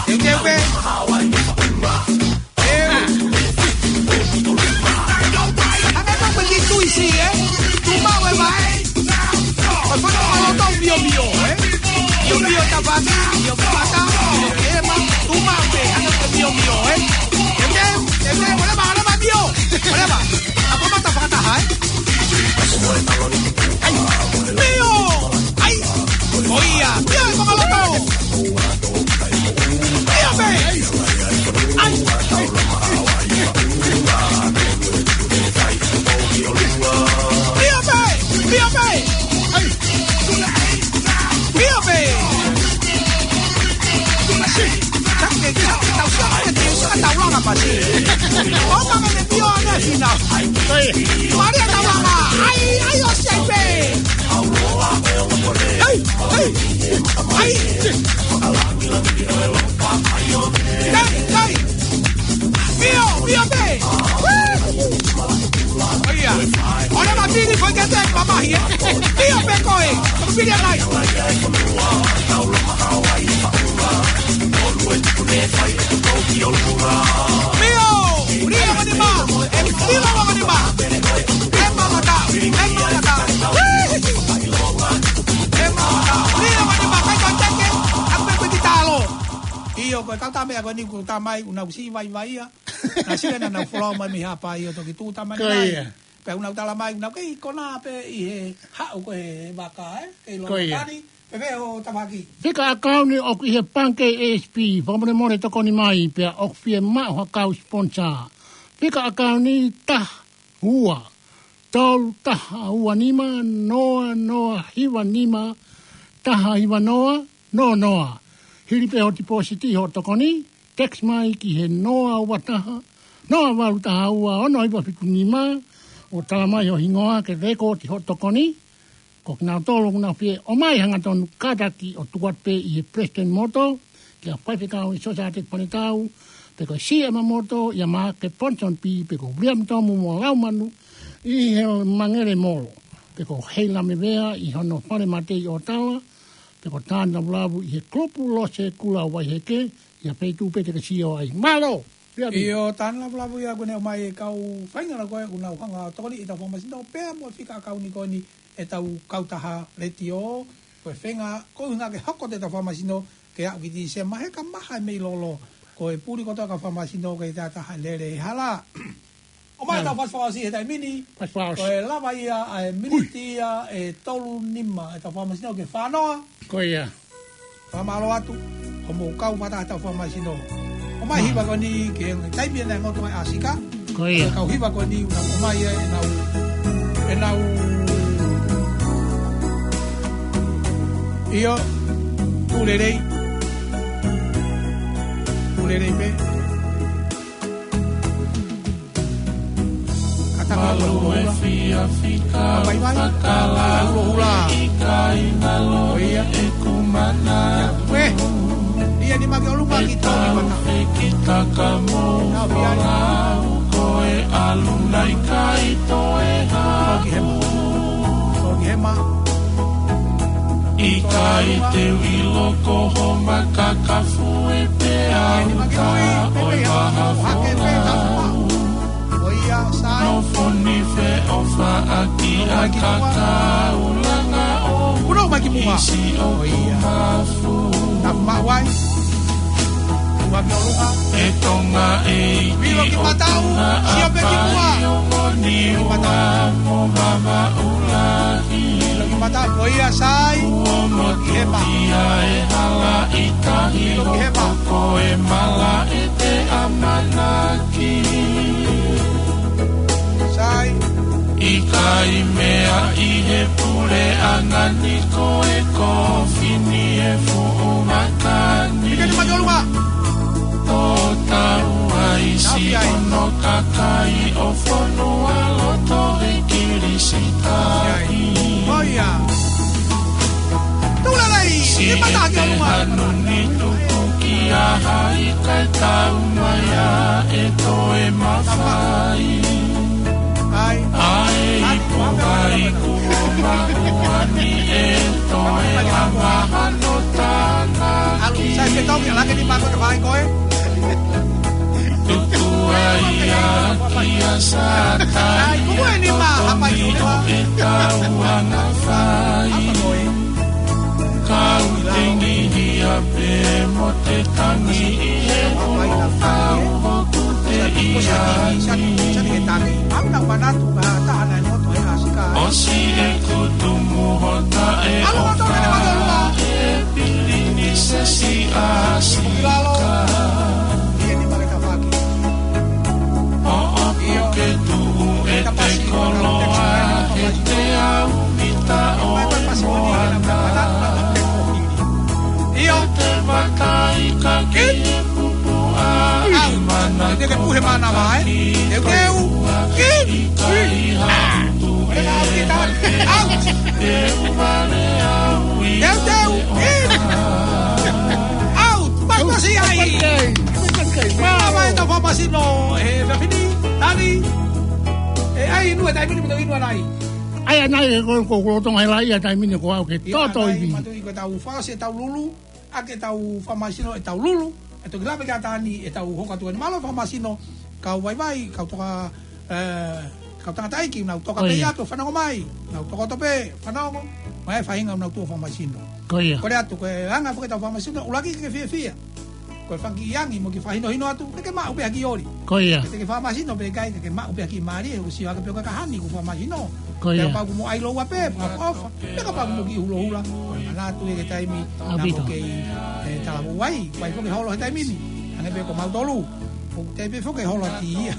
teuteu pē. Teu. Hangē ko e kiʻi tuisi, ē? Tuʻu maʻu e vai. Ko e fanongo ʻa loto miomio, ē? Miomio tafaʻaki, miomio mata, miomio ʻema, tuʻu maʻu pē, hangē ko e miomio, ē? Teuteu, teuteu, ʻoleva, ʻoleva mio, ʻoleva. ʻA, kamata fakataha, ē? ʻAi, mio, ʻai, ko ia, mio e fakaloto. Mio pē! ʻAi! Mio pē! Mio pē! ʻAi! Mio pē! Taki, taki, tau sio, taki, tau langa pasi. ʻO ka me mio ane fina. Maria tau langa. ʻAi, ʻai, ʻosi ai pē. ʻAi, ʻai, ʻai. Kai, kai. Mio, mio pē. ʻIo. ʻOleva pili foʻi kete mamahi, ē. Mio pē koe. Pili anai. Mio, mio anima. E mio anima. E mamata, e mamata. E mamata. Mio anima, kai ko teke. Aku pē ko e kiʻi talo. ʻIo, ko e kau tā meʻa ko eni ʻoku tā mai, ʻoku nau siʻi vaivai ia. Naʻa siʻi naʻa nau folau mai mei Haʻapai ʻo toki tuʻu tā mai. Ko ia. Pea ʻoku nau tala mai, ʻoku nau kei konā pē ʻi he haʻu ko e vaka, ē? Kei loto. Ko ia. Tani, pē pē ʻo tafaʻaki. Fika ʻakauni ʻoku ʻi he pangikē A S P, fakamolemole tokoni mai, pea ʻoku fiemaʻu ha kau sponsor. Fika ʻakauni taha ua, tolu taha ua nima, noa noa hiva nima, taha hiva noa, noa noa. Hili pē hoʻo tipōsiti hoʻo tokoni, text mai ki he noa ua taha, noa valu taha ua, ono hiva fitu nima, ʻo tala mai ho hingoa ke lēkooti hoʻo tokoni. Ko kinautolu ʻoku nau fie ʻomai hangatonu kātaki ʻo tuku atu pē ʻi he Palesiteni Moto, kia Faifekau ʻi Sosaiete Fanitau, pe ko Siʻa Mamoto, ʻia Maake Ponsonby, pe ko William Tomu mo Laumanu, ʻi he Mangele Molo, pe ko Heila Mevea, ʻi hono fale mate ʻi ʻOtala, pe ko Tāna Vulavu, ʻi he Kulupu Lose Kula Vaiheke, ʻi ha feituʻu pē te ke sio ai. Mālō! Ia, ʻio, Tāna Vulavu ia kuo ne ʻomai e kau faʻahinga ko ē ʻoku nau hanga ʻo tokoni ʻi heʻetau fakamasino, pea mo e fika ʻakauni ko eni ʻetau kautaha letiō, ko e feinga, ko e ʻuhinga ke hoko atu ʻetau fakamasino, ke aʻu ki Tīsema he ka maha e mei lolo, ko e puli kotoa e kau fakamasino ke taʻetaha lele he hala. ʻOmai ʻetau fasi fakaʻosi he taimi ni, fasi fakaʻosi, ko e lava ia ʻa e miniti ia ʻe tolu nima ʻetau fakamasino ke fānoa. Ko ia. Fakamālō atu, hoʻomou kau fakataha ʻetau fakamasino. ʻOmai hiva ko eni ke taimi ʻena e motu mai ʻAsika. Ko ia. Kau hiva ko eni, ʻoku nau ʻomai ʻenau, ʻenau. ʻIo, tuʻu lelei. Tuʻu lelei pē. Mālō e fiefia fika fakalaulauloto ʻikai ngalo ʻeku mana. Ia ni make ʻolunga ki tau mata. Fekitaka mo folau ko e ʻalu nai kai toe ha. Toki hema. Toki hema. ʻIkai te u ʻilo ko ho makakafu e pea uta ʻo e vaha folau. Nofo ni feʻofaʻaki ʻa kakaulanga ʻo isi ʻoku mafu. E Tonga ʻeiki ʻo Tonga ʻa Paiongo, Niua mo Vavaʻu lahi. Ko ia sai. Kuo motuʻia e hala ʻi tahi, ʻoku ko e malaʻe te ʻamanaki. Sai. ʻIkai meaʻi he puleʻanga ni ko e kofini e fuʻu makani. Tō tau ai si ono kakai ʻo fonua loto he Kilisitahi. Ko ia. Tuʻu lelei, si e te mata ki ʻolunga. Hanu ni tuku ki a hai kae tau mai a e toe mafai. Ai. Ai, ai, puai, kuo maʻu ani e toe langa hano tānaki. Alu, sai, ke tau ki a lake ni mako te vai koe. Tuku ai a kia Sata. Ai, kuku e ni ma, hapai. Tomi o e tau anga fai. Apa koe. Kau tengi hia pē mo te tangi ʻi he ʻulu kau hoku te ia ni. ʻOsi e kutu muhota e ʻofa e pilinisesi ʻAsika. ʻOku ke tuʻu e te koloa he teau mita ʻo e moana. ʻIo. Te matai ka ki e pupu a i mana te ke puhe mana mai. Teu, teu. Ki. Ki. Out. Teu, teu. Ki. Out. Mai masi ai. Mālō mai ʻetau fakamasino, he fefini, tani. ʻE ʻai inu e taimi ni mo te inu anai. ʻAi anai e ko, ko, ko Tonga he laʻi a taimi ni ko au ke toto ivi. Matuʻi ko ʻetau fakaʻosi ʻetau lulu, ʻa ke tau fakamasino ʻetau lulu, ʻe toki lave ki a tani ʻetau hoko atu eni. Mālō fakamasino, kau vaivai, kau toka, ē, kau tangataʻeiki, nau toka pē atu, fanongo mai, nau tokoto pē, fanongo, mai faʻahinga nau tuʻu fakamasino. Ko ia. Kole atu, ko e anga foki ʻetau fakamasino, ʻuluaki ke fiefia. Ko e fanga kiʻi angi mo e kiʻi fakahinohino atu, ke ke maʻu pē ha kiʻi oli. Ko ia. Ke ke fakamasino pē ʻikai, ke ke maʻu pē ha kiʻi mālie, ʻoku sio hake pē ʻo ka ka hani ʻoku fakamasino. Ko ia. Kapau ʻoku mo ʻai loua pē, fakaʻofa. Pea kapau ʻoku mo kiʻi hulohula. Ko e manatu ia ki he taimi, naʻa mo kei, ē, talavou ai, ʻoku ʻi ai foki e holo he taimi ni. Hangē pē ko mautolu. ʻOku teʻeki pē foki ke holo atu ia.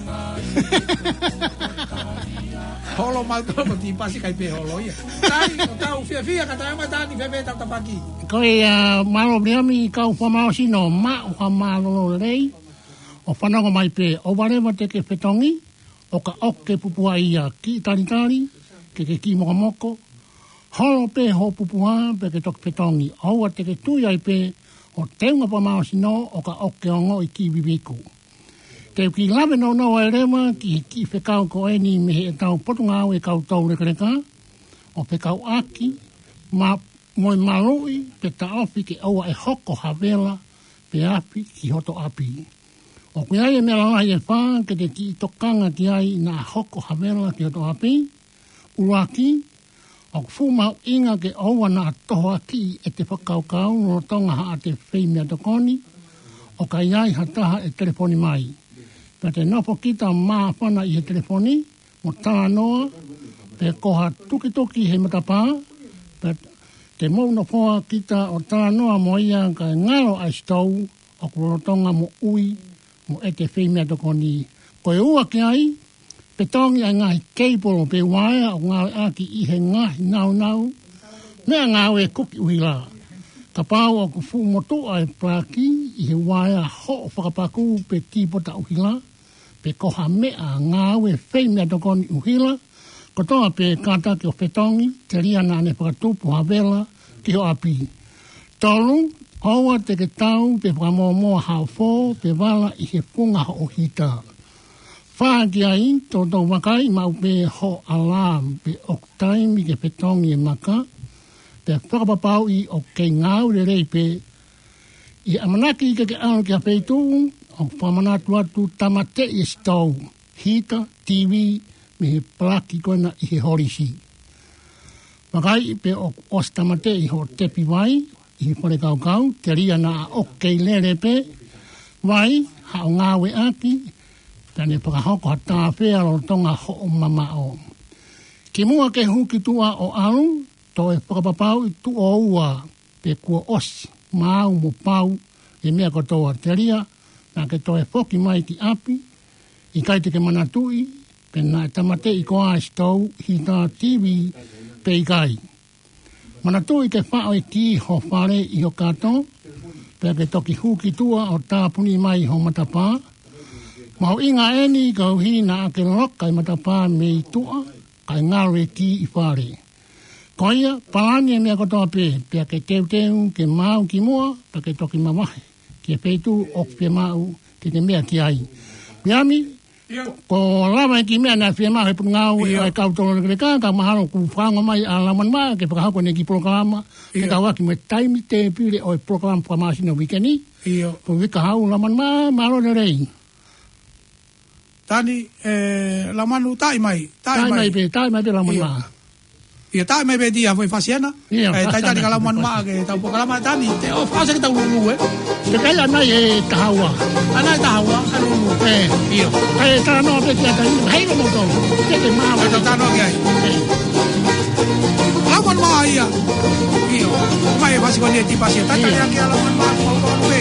Holo mau tolo ko Tipasi kai pē holo ia. Tani, ʻoku tau fiefia ka tau mai Tani fēfē ʻetau tapaki. Ko ia, mālō Viliami, kau fakamālohisino, maʻu ha mālōlō lelei ʻo fanongo mai pē. ʻOua leva te ke fetongi, ʻo ka ʻoku ke pupuha ia, kiʻi talitali, ke ke kiʻi mokomoko, holo pē hoʻo pupuha, pea ke toki fetongi. ʻOua te ke tui ai pē ʻo teunga fakamālohisino, ʻo ka ʻoku ke ongoʻi kiʻi viviku. Te u kiʻi lave nounou ai leva ki he kiʻi fekau ko eni mei heʻetau Potungāue Kau Toulekeleka, ʻo fekauʻaki mo e maluʻi pe taʻofi ke ʻoua ʻe hoko ha vela pe afi ki hoto ʻapi. ʻOku ʻi ai e meʻa lalahi ʻe fā ke te kiʻi tokanga ki ai naʻa hoko ha vela ki hoto ʻapi. ʻUluaki, ʻoku fuʻu mahuʻinga ke ʻoua naʻa tohoakiʻi ʻete fakakaukau lolotonga haʻate feimeʻatokoni, ʻo ka ʻi ai ha taha ʻe telefoni mai. Pea te nofo kita ʻo māfana ʻi he telefoni, mo talanoa, pe ko ha tukituki he matapā, pea te mou nofoa kita ʻo talanoa mo ia kae ngalo ʻa e sitou ʻoku lolotonga moʻui mo ʻete feimeʻatokoni. Ko e ua ki ai, fetongi ʻa e ngaahi keipolo pe uaea ʻoku ngāueʻaki ʻi he ngaahi naunau meʻangāue kuki ʻuhila. Kapau ʻoku fuʻu motuʻa e palaki ʻi he uaea hoʻo fakapaku pe kīpota ʻuhila, pe ko ha meʻangāue feimeʻatokoni ʻuhila, kotoa pē kātaki ʻo fetongi, telia naʻa ne fakatupu ha vela ki ho ʻapi. Tolu, ʻoua te ke tau pe fakamōmoa ha ofo pe vala ʻi he funga hoʻo hita. Fā ki ai, toutou vakai maʻu pē hoʻo alarm pe ʻoku taimi ke fetongi e maka, pea fakapapauʻi ʻoku kei ngāue lelei pē. ʻI he ʻamanaki ke ke ʻalu ki ha feituʻu, ʻoku fakamanatu atu tāmateʻi e sitou, hita, TV, mei he palaki ko ena ʻi he holisi. Vakai pe ʻoku ʻosi tāmateʻi hoʻo tepi vai ʻi he fale kaukau, telia naʻa ʻoku kei lele pē vai, haʻo ngāueʻaki, pea ne fakahoko ha tāfea lolotonga hoʻo mamaʻo. Kimuʻa ke hū ki tuʻa ʻo ʻalu, toe fakapapauʻi tuʻo ua pe kuo ʻosi maau mo pau e meʻa kotoa, telia naʻa ke toe foki mai ki ʻapi. ʻIkai te ke manatuʻi pe naʻe tāmateʻi koā e sitou, hita, TV pe ʻikai. Manatuʻi ke faʻo e kī ho fale ʻi ho kato, pea ke toki hū ki tuʻa ʻo tāpuni mai ho matapā. Mahuʻinga eni koeʻuhi naʻa ke loka e matapā mei tuʻa, kae ngalo e kī ʻi fale. Ko ia, palani e meʻa kotoa pē, pea ke teuteu ke maau kimuʻa, pea ke toki mavahe ki he feituʻu ʻoku fiemaʻu ke ke meʻa ki ai. Viliami, ʻIo. Kuo lava e kiʻi meʻa naʻe fiemaʻu he Potungāue ʻo e Kau Toulekeleka, ka mahalo kuo fakaongo mai ʻa Laumanimaʻa ke fakahoko ʻene kiʻi polokalama, ke ʻIo. Kau ʻaki mo e taimi tēpile ʻo e polokalama fakamāsino uike ni. ʻIo. Ko Vika Hau, Laumanimaʻa, mālō lelei. Tani, ē, Laumanu, taʻi mai, taʻi Taʻi mai. mai pē, taʻi mai pē Laumanu ʻIo. Maʻa. ʻIo, taʻi mai pē Tia, foʻi fasiena. ʻIo. Ē, taʻi tani ka Laumanu Maʻa ke tau polokalama Tani, te o fase ke tau lulu, ē. Te kai ana e tahaua. Ana e tahaua, ka lulu. Ē. ʻIo. Kai e talanoa pē Tia Tani, hei lo moto. Te te maha. Te tau talanoa ki ai. Ē. Laumanu Maʻa ia. ʻIo. Mai e fasi ko eni e Tipasi. Taʻi tani ʻIo. ake ʻa Laumanu Maʻa, ko au pē.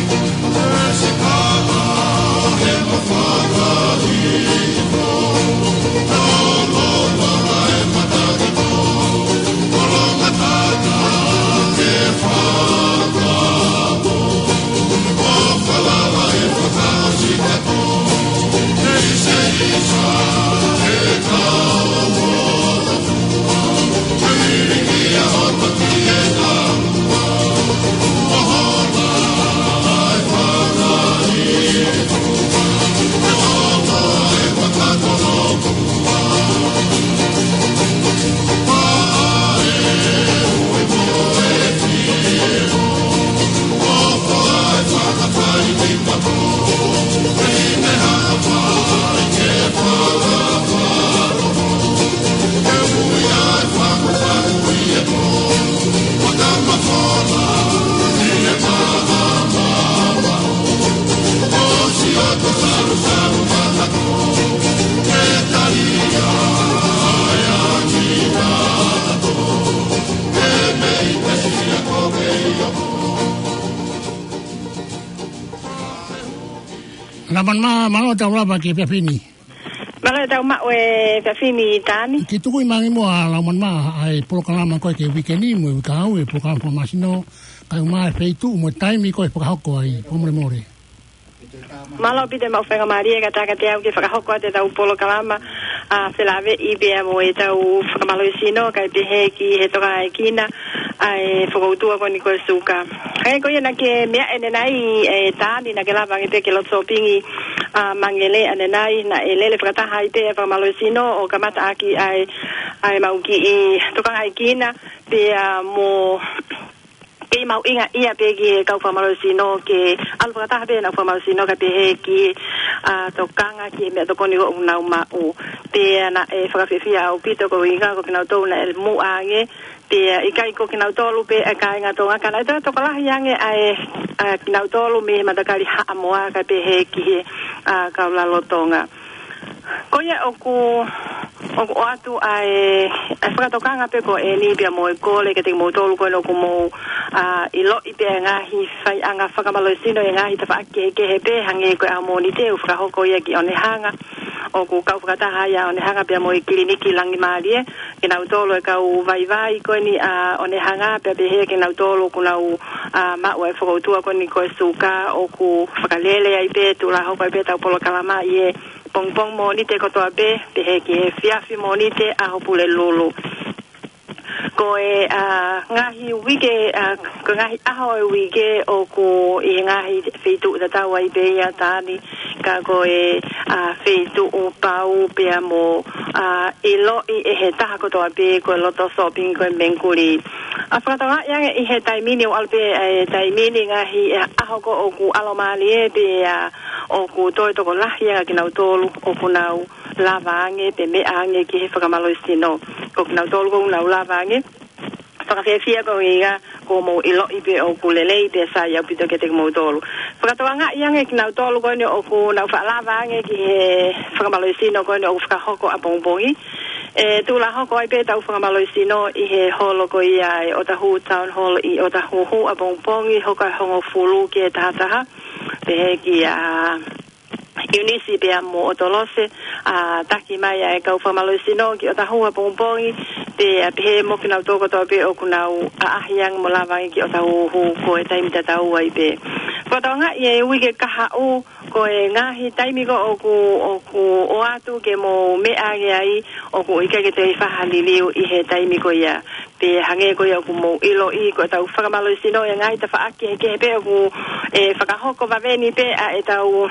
Laumanu Maʻa, mālō e tau lava ki he efiafi ni. Mālō e tau maʻu e efiafi ni Tani. Ke tuku ʻi mangi mo a lau man ma ʻa e polokalama ko ē ki he uike ni mo e uike ʻaho e polokalama fakamalosino, kae ʻumaʻā e feituʻu mo e taimi ko ē ʻe fakahoko ai, fakamolemole. Mālō ʻaupito e maʻu faingamālie ka taka te au ke fakahoko atu e tau polokalama, ʻa, felāveʻi pea mo e tau fakamalosino, kae pehē ki he tokanga ʻa e kina, ʻa e fokoutua ko eni ko e suka. He ko ia naʻa ke meʻa ʻanenai, e Tani, naʻa ke lava ange pē ke loto sōpingi, ʻa, mangele ʻanenai, naʻe lele fakataha ai pē e fakamalosino ʻo kamata ʻaki ʻa e, ʻa e maʻu kiʻi tokanga ʻa e kina, pea mo kei mahuʻinga ia pē ki he kau fakamalosino ke ʻalu fakataha pē ʻenau fakamalosino kae pehē ki he, ʻa, tokanga ki he meʻatokoni ʻoku nau maʻu. Pea naʻe fakafiefia ʻaupito koeʻuhinga ko kinautolu naʻe muʻa ange, pea ʻikai ko kinautolu pē ʻa e kāinga Tonga ka naʻe toe tokolahi ange ʻa e, ʻa kinautolu mei he matakali Haʻamoa kae pehē ki he, ʻa, kau lalotonga. Ko ia ʻoku, ʻoku ʻoatu ʻa e, ʻa e fakatokanga pē ko eni pea mo e kole kiate kimoutolu ko eni ʻoku mou, ʻa, ʻiloʻi pē ʻa e ngaahi faiʻanga fakamalosino ʻi he ngaahi tafaʻaki kehekehe pē hangē ko e ʻaho Mōnite ʻoku fakahoko ia ki ʻOnehanga. ʻOku kau fakataha ia ʻOnehanga pea mo e kiliniki Langimālie, kinautolu e kau vaivai ko eni ʻa ʻOnehanga pea pehē kinautolu ʻoku nau, ʻa, maʻu e fokoutua ko eni ko e suka ʻoku fakalele ai pē, tuʻulahoko ai pē tau polokalama ʻi he pongipongi Mōnite kotoa pē, pehē ki he efiafi Mōnite ʻaho Pulelulu. Ko e, ʻa, ngaahi uike, ʻa, ko e ngaahi ʻaho e uike ʻoku ʻi he ngaahi feituʻu tatau ai pē ia Tani, ka ko e, ʻa, feituʻu pau pea mo, ʻa, ʻiloʻi ʻe he taha kotoa pē ko e loto sōpingi ko e Mengkuli. ʻA, fakatokangaʻi ange ʻi he taimi ni ʻoku ʻalu pē, ʻa, e taimi ni ngaahi, ʻa, ʻaho ko ē ʻoku ʻalomālie pea ʻoku toe tokolahi ange kinautolu ʻoku nau lava ange pea meʻa ange ki he fakamalosino. Ko kinautolu ʻoku nau lava ange, fakafiefia koeʻuhinga kuo mou ʻiloʻi pē ʻoku lelei pea sai ʻaupito kiate kimoutolu. Fakatokangaʻi ange kinautolu ko eni ʻoku nau faʻa lava ange ki he fakamalosino ko eni ʻoku fakahoko ʻapongipongi. ʻE tuʻulahoko ai pē tau fakamalosino ʻi he holo ko ia e ʻOtahuhu Town Hall ʻi ʻOtahuhu ʻapongipongi, hoko ʻa e hongofulu ki he tahataha. Pehē kia ʻIunisi pea mo ʻOtolose, ʻa, taki mai ʻa e kau fakamalosino ki ʻOtahuhu ʻapongipongi, pea pehē mo kinautolu kotoa pē ʻoku nau ʻaʻahi ange mo lava ange ki ʻOtahuhu ko e taimi tatau ai pē. Fakatokangaʻi e uike kahaʻu, ko e ngaahi taimi ko ē ʻoku, ʻoku ʻoatu ke mou meʻa ange ai, ʻoku ʻikai ke toe faʻa liliu ʻi he taimi ko ia. Pea hangē ko ia ʻoku mou ʻiloʻi, ko e tau fakamalosino ʻi he ngaahi tafaʻaki kehekehe pē ʻoku, ʻe, fakahoko vave ni pē ʻa e tau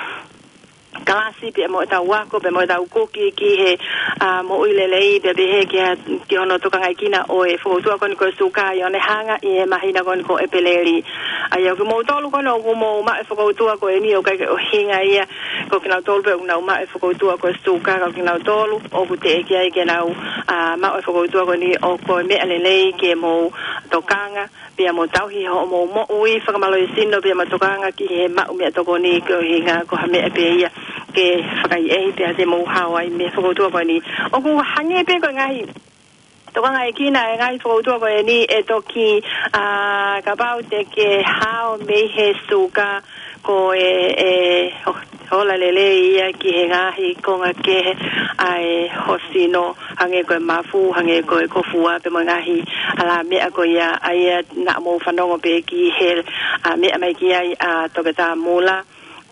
kalasi pea mo e tau ako, pea mo e tau kuki ki he, ʻa, moʻui lelei, pea pehē ki ha, ki hono tokangaʻi kina ʻo e fokoutua ko eni ko e suka ʻi ʻOnehanga ʻi he māhina ko eni ko ʻEpeleli. ʻA ia ko kimoutolu ko eni ʻoku mou maʻu e fokoutua ko eni ʻoku ʻikai ke ʻuhinga ia ko kinautolu pē ʻoku nau maʻu e fokoutua ko e suka, ka ko kinautolu ʻoku teʻeki ai ke nau, ʻa, maʻu e fokoutua ko eni ʻoku ko e meʻa lelei ke mou tokanga pea mo tauhi hoʻomou moʻui fakamalosino pea mo tokanga ki he maʻu meʻatokoni koeʻuhinga ko ha meʻa pē ia ke fakaʻehiʻehi pea te mou hao ai mei he fokoutua ko eni. ʻOku hangē pē ko e ngaahi tokangaʻi kina e ngaahi fokoutua ko eni ʻe toki, ʻa, kapau te ke hao mei he suka ko e, ʻe, ʻo, ola lelei ia ki he ngaahi konga kehe ʻa e hosino, hangē ko e mafu, hangē ko e kofua, pea mo e ngaahi ʻalā meʻa ko ia, ʻa ia naʻa mou fanongo pē ki he, ʻa, meʻa mai ki ai ʻa Toketā Mula,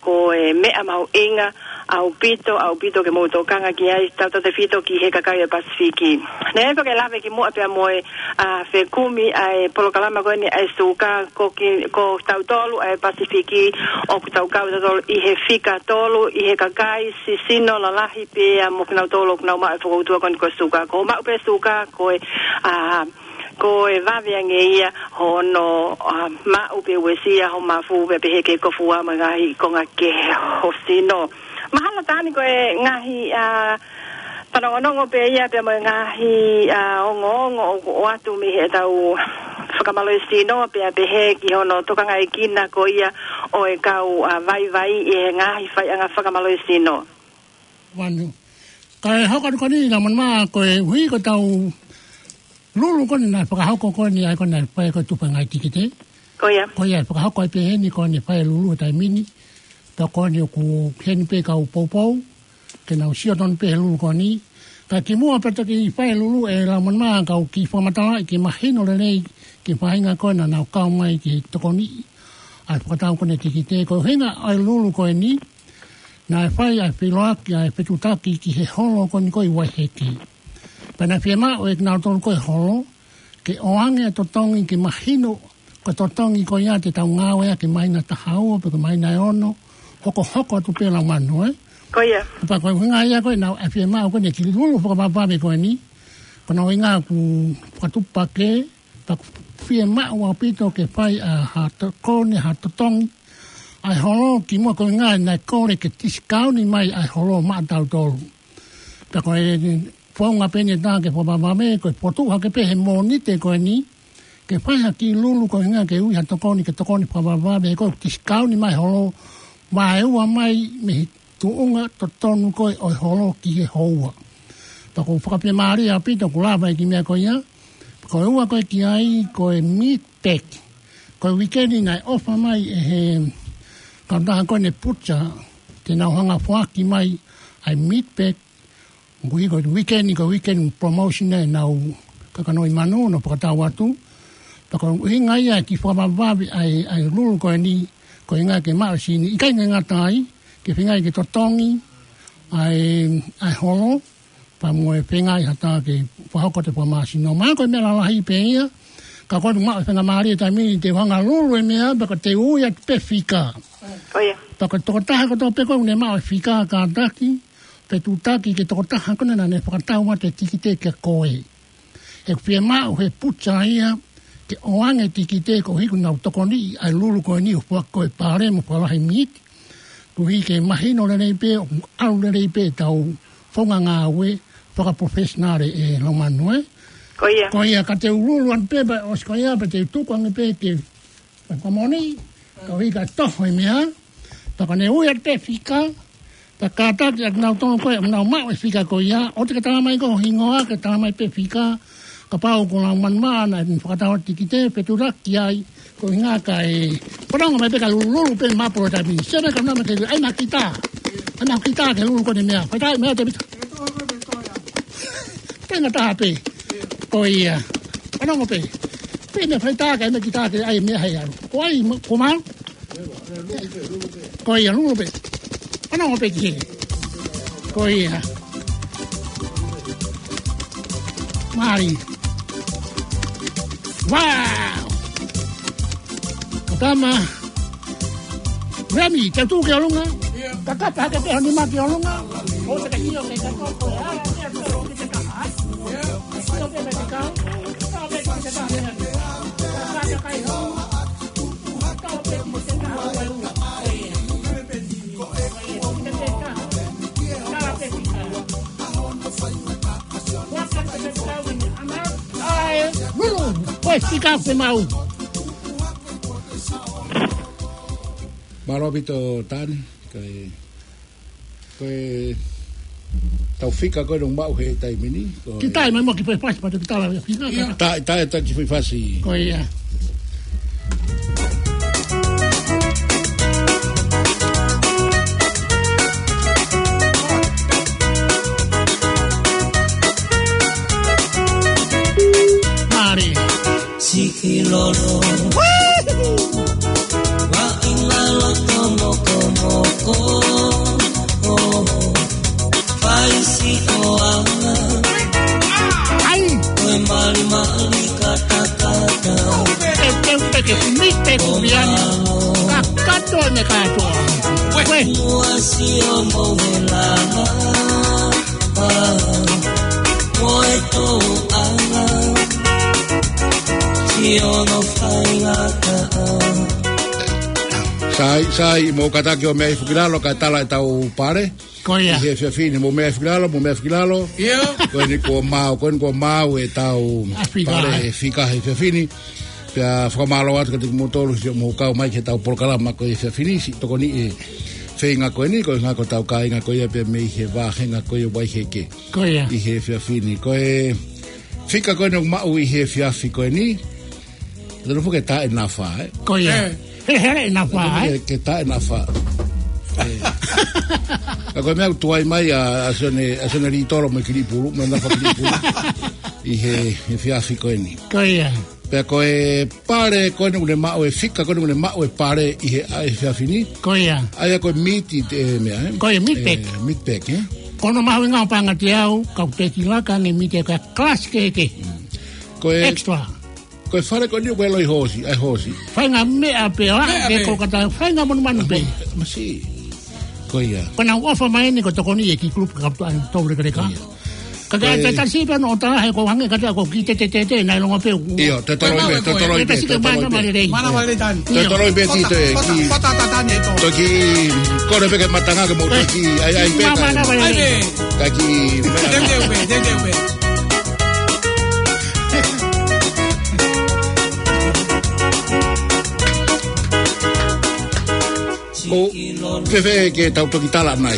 ko e meʻa mahuʻinga ʻaupito, ʻaupito ke mou tokanga ki ai, tautautefito ki he kakai ʻo e Pasifiki. Naʻe ʻi ai pē ke lave ki muʻa pea mo e, ʻa, fekumi ʻa e polokalama ko eni ʻa e suka, ko ki, ko tautolu ʻa e Pasifiki, ʻoku tau kau tautolu ʻi he fika tolu, ʻi he kakai sisino lalahi pea mo kinautolu ʻoku nau maʻu e fokoutua ko eni ko e suka. Ko hoʻo maʻu pē suka, ko e, ʻa, ko e vave ange ia hono, ʻa, maʻu pea uesia hoʻo mafu pea pehē ki he kofua mo e ngaahi konga kehe hosino. Mahalo Tani ko e ngaahi, ʻa, fanongonongo pē ia pea mo e ngaahi, ʻa, ongoongo ʻoku ʻoatu mei he tau fakamalosino pea pehē ki hono tokangaʻi kina ko ia ʻo e kau, ʻa, vaivai ʻi he ngaahi faiʻanga fakamalosino. Vanu. Kae hoko atu ko eni ʻa Lamonima, ko e ʻuhi ko e tau lulu ko eni naʻe fakahoko ko eni ʻa ia ko eni naʻe fai ko e tufa ngaahi tikite. Ko ia. Ko ia ʻe fakahoko ai pē heni ko eni fai lulu he taimi ni. Pea ko eni ʻoku heni pē kau poupou. ke nau sio tonu pē he lulu ko eni. Ka kimuʻa pea toki fai e lulu ʻe Laumanu, ka ʻoku ou kiʻi fakamatalaʻi ke mahino lelei ki he faʻahinga ko ē naʻa nau kau mai ke tokoniʻi ʻa e fakatau ko eni e tikite. Ko e ʻuhinga ʻa e lulu ko eni, naʻe fai ʻa e feʻiloaki, ʻa e fetuʻutaki ki he holo ko eni ko ē ʻi Vaiheke. Pea naʻe fiemaʻu ʻe kinautolu ko ē holo ke ʻoange e totongi ke mahino ko e totongi ko ia te tau ngāueʻaki he māhina taha ua pe ko e māhina ʻe ono, hokohoko atu pē Laumanu, ē? Ko ia. Pea ko e ʻuhinga ia ko ē naʻe fiemaʻu ko eni e kiʻi lulu fakavavevave ko eni, ko hono ʻuhinga ʻoku fakatuʻupakē, pea ʻoku fiemaʻu ʻaupito ke fai ʻa ha tokoni, ha totongi ʻa e holo kimuʻa, ko e ʻuhinga naʻe kole ke tisikauni mai ʻa e holo maʻatautolu. Pea ko e founga pē eni ʻe taha ke fakavavevave, ko e fokotuʻu hake pē he Mōnite ko eni, ke fai ha kiʻi lulu ko e ʻuhinga ke ui ha tokoni, ke tokoni fakavavevave, he ko e tisikauni mai holo, vaeua mai mei he tuʻunga totonu ko ē ʻo e holo ki he houa. Pea ʻoku ou fakafiemālie ʻaupito ʻoku lava e kiʻi meʻa ko ia. Ko e ua ko ē ki ai, ko e meat pack. Ko e uike ni naʻe ʻofa mai ʻe he kautaha ko eni butcher, te nau hanga foaki mai ʻa e meat pack. Koeʻuhi ko e uike ni ko e weekend promotion ʻenau kakanoʻi manu, nau fakatau atu. Pea ko e ʻuhinga ia e kiʻi fakavavevave ʻa e, ʻa e lulu ko eni, ko e ʻuhinga ke maʻu e sini. ʻIkai ke ngata ai, ke feinga ke totongi ʻa e, ʻa e holo, pea mo e feinga ʻe ha taha ke fakahoko atu e fakamāsino. Mahalo ko e meʻa lalahi pē ia, ka ko e maʻu e faingamālie he taimi ni te u hanga lulu e meʻa, pea ka te u ui atu pē fika. Ko ia. Pea ko e tokotaha kotoa pē ko ē ʻoku ne maʻu e fika, kātaki, fetuʻutaki ki he tokotaha ko ē naʻa ne fakatau atu e tikite kia koe. He ʻoku fiemaʻu he butcher ia ke ʻoange e tikite koeʻuhi ʻoku nau tokoniʻi ʻa e lulu ko eni ʻo foaki ko ē e pale mo e fakalahi meat. Koeʻuhi ke mahino lelei pē, ʻoku ʻalu lelei pē ʻetau founga ngāue fakaprofessional, ē Laumanu, ē? Ko ia. Ko ia, ka te u lulu ange pē, pea ʻosi ko ia, pea te u tuku ange pē ke fakamoʻoni, koeʻuhi ka toho e meʻa, pea ka ne ui atu pē fika, pea kātaki ʻa kinautolu ko ē ʻoku nau maʻu e fika ko ia, ʻoua te ke tala mai ko ho hingoa, ke tala mai pē fika, kapau ko Laumanu Maʻa naʻa ne fakatau atu e tikite, fetuʻutaki ai, ko e ʻuhinga ka e, fanongo mai pē ka lulululu pē mapu ʻo e taimi ni. Sio mai ka nau mai ke, ʻai mai kita. ʻAi mai kita ke lulu ko eni e meʻa. Fai tā e meʻa te pita. Tenga taha pē. Ko ia. Fanongo pē. Pē meʻa fai tā ka e meʻa kita ke ʻai e meʻa hei ʻalu. Ko ai, mo-, ko mau? Ko ia, lulu pē. Fanongo pē ki heni. Ko ia. Mālie. Wow! Ka tama. Remi, te u tuʻu ki ʻolunga. Ka kapa hake pē ho nima ki ʻolunga. ʻO te ka ʻio ke ka toko e ala, ke a toko ki te kaha. ʻIo ke me te kau. Kau pē ki te kaha. Kau pē ki te kaha. Ai, lulu, ko e fika ʻoku mau. Mālō ʻaupito Tani, ko e, ko e tau fika ko ē ʻoku maʻu he taimi ni, ko e. Kita ʻi mai mo ki fai fasi, patu kita la fika. ʻIo. Ta, ta, ta ki fai fasi. Ko ia. Mālie. Siʻi lolo. Woo! Wa ina loto mokomoko. Fai siʻo anga. ʻAi. Ko e malimali katakata. Peke, peke, peke, peke, peke, kakato ʻene kātoa. Wē. Mua siʻo mohe lava. Mo e tōʻanga. Siʻono faingataʻa. Sai, sai, mou kātaki ʻo meʻa hifo ki lalo kae tala ʻetau pale. Ko ia. ʻI he efiafi ni, mou meʻa hifo ki lalo, mou meʻa hifo ki lalo. ʻIo. Ko eni kuo maau, ko eni kuo maau ʻetau pale ʻa e fika he efiafi ni. Pea fakamālō atu kiate kimoutolu siʻomou kau mai ki heʻetau polokalama ko e efiafi ni, siʻi tokoniʻi e feinga ko eni, ko e ngaahi ko ʻetau kāinga ko ia pea mei he vāhenga ko ia Vaiheke. Ko ia. ʻI he efiafi ni. Ko e fika ko eni ʻoku maʻu ʻi he efiafi ko eni. Tonu foki ke taʻe nafa, ē? Ko ia. Ē. Hele, hele nafa, ē? Ke, ke taʻe nafa. Ē. Ka ko e meʻa ʻoku tuai mai ʻa, ʻa Sione, ʻa Sione Litolo mo e Kilipulu, mo e nafa Kilipulu. ʻI he, he efiafi ko eni. Ko ia. Pea ko e pale ko eni ʻoku ne maʻu e fika ko eni ʻoku ne maʻu e pale ʻi he, ʻa, he efiafi ni. Ko ia. ʻA ia ko e miti te meʻa, ē? Ko ia, meat pack. Ē, meat pack, ē? Ko hono mahuʻinga ʻo paʻanga te au, kau teki laka ange miti ʻa e kalasi kehekehe. Mm. Ko e extra. Ko e fale ko eni ʻoku ʻi ai e hoosi, ʻa e hoosi. Faʻahinga meʻa pē, ʻa, meʻa ke pē. Ko kata, faʻahinga monumanu pē. Masi. Ko ia. Ko ʻenau ʻofa mai eni ko e tokoni ʻe he kiʻi kulupu ka ʻoku tau lekeleka. Ko ia. Ka ke ʻai tatasi pē ʻo tā he ko hangē ka te ko ki te te te te, naʻe longo pē. ʻIo, te toloi pē, te toloi pē, te toloi pē. Mānava lelei. Te toloi pē ki te ki. Toki, kole pē ke matanga ke mo toki, ʻai, ʻai pē. Mānava lelei. Ka ki, te te pē, te te pē. ʻO, fēfē ke tau toki tala mai?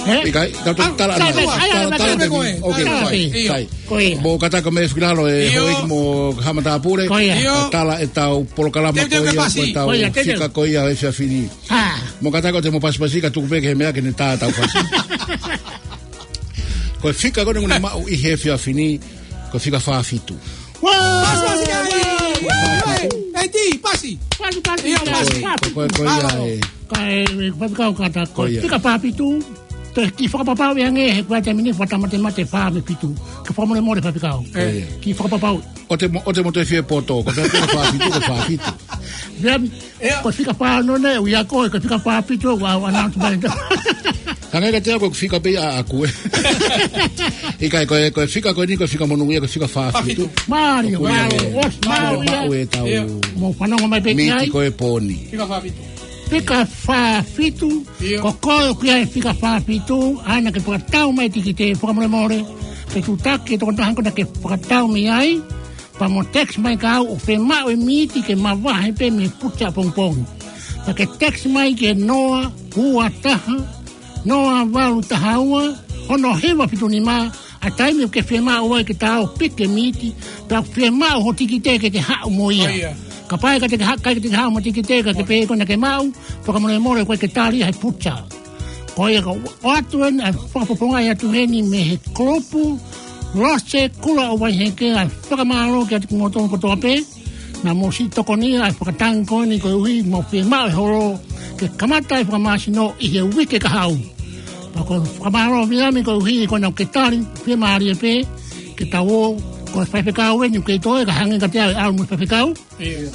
Ē? ʻIkai, tau toki tala mai. Tala, tala, tala, tala, tala, tala, tala, tala, tala, tala, tala, tala. Ko ia. Mou kātaki mei Fukilalo ʻe houʻeiki mo Haʻa Matāpule. Ko ia. Tau tala ʻetau polokalama ko ia, ko ʻetau fika ko ia he efiafi ni. Mou kātaki ʻo te mou pasipasi ka tuku pē ke he meʻa ke ne tā ʻetau fasi. Ko e fika ko eni ʻoku ne maʻu ʻi he efiafi ni, ko e fika fā fitu. Pasi, pasi, pasi. Pasi, pasi. Ko, ko, ko ia ē. Ka e, e, faifekau kātaki. Ko ia. Fika fā fitu. Te kiʻi fakapapauʻi ange he ko e taimi ni fakamatemate fā mo e fitu. Ke fakamolemole faifekau. Ko ia. Kiʻi fakapapauʻi. ʻO te mo, ʻo te mo te fie poto. Ko e fika fā fitu, ko e fā fitu. Ko e fika fā ono ʻoku ʻi ai ko e, ko e fika fā fitu ʻoku ou announce mai. Hangē ka te au ko e fika pē ʻaʻaku ē. ʻIkai ko e, ko e fika ko eni ko e fika monūʻia ko e fika fā fitu. Mālie, mālie. ʻOsi, mālie. Maʻu ʻetau miti ko e pōni. Fika fā fitu. Fika fā fitu. Ko koe ʻoku ʻi ai e fika fā fitu, ʻai naʻa ke fakatau mai tikite fakamolemole. Ke tūtaki e tokotaha ko ena ke fakatau mei ai. Pea mo text mai kia au ʻoku fiemaʻu e miti ke mavahe pē mei he puta pongipongi. Pea ke text mai ki he noa ua taha, noa valu taha ua, ono hiva fitu nima, ʻa e taimi ʻoku ke fiemaʻu ai ke ta ō ʻo piki e miti, pea ʻoku fiemaʻu ho tikite ke ke haʻu mo ia. Kapau ʻe ʻikai te ke haʻu, ʻikai te ke haʻu mo e tikite ka ke pehē ko ena ke maʻu, fakamolemole ʻoku ʻikai ke tali ia he puta. Ko ia ka ʻoatu eni ʻa e fakapoponga ʻe ʻatu heni mei he kulupu Lose Kula ʻo Vaiheke, ʻa e fakamālō kiate kimoutolu kotoa pē. Naʻa mou siʻi tokoni ʻa e fakatangi ko eni koeʻuhi ʻoku mou fiemaʻu e holo ke kamata e fakamāsino ʻi he uike kahaʻu. Pea ko e fakamālō Viliami koeʻuhi ko ena ʻoku ke tali, fiemālie pē ke tau ō, ko e faifekau eni ʻoku kei toe ka hangē ka te au ʻe ʻalu mo e faifekau.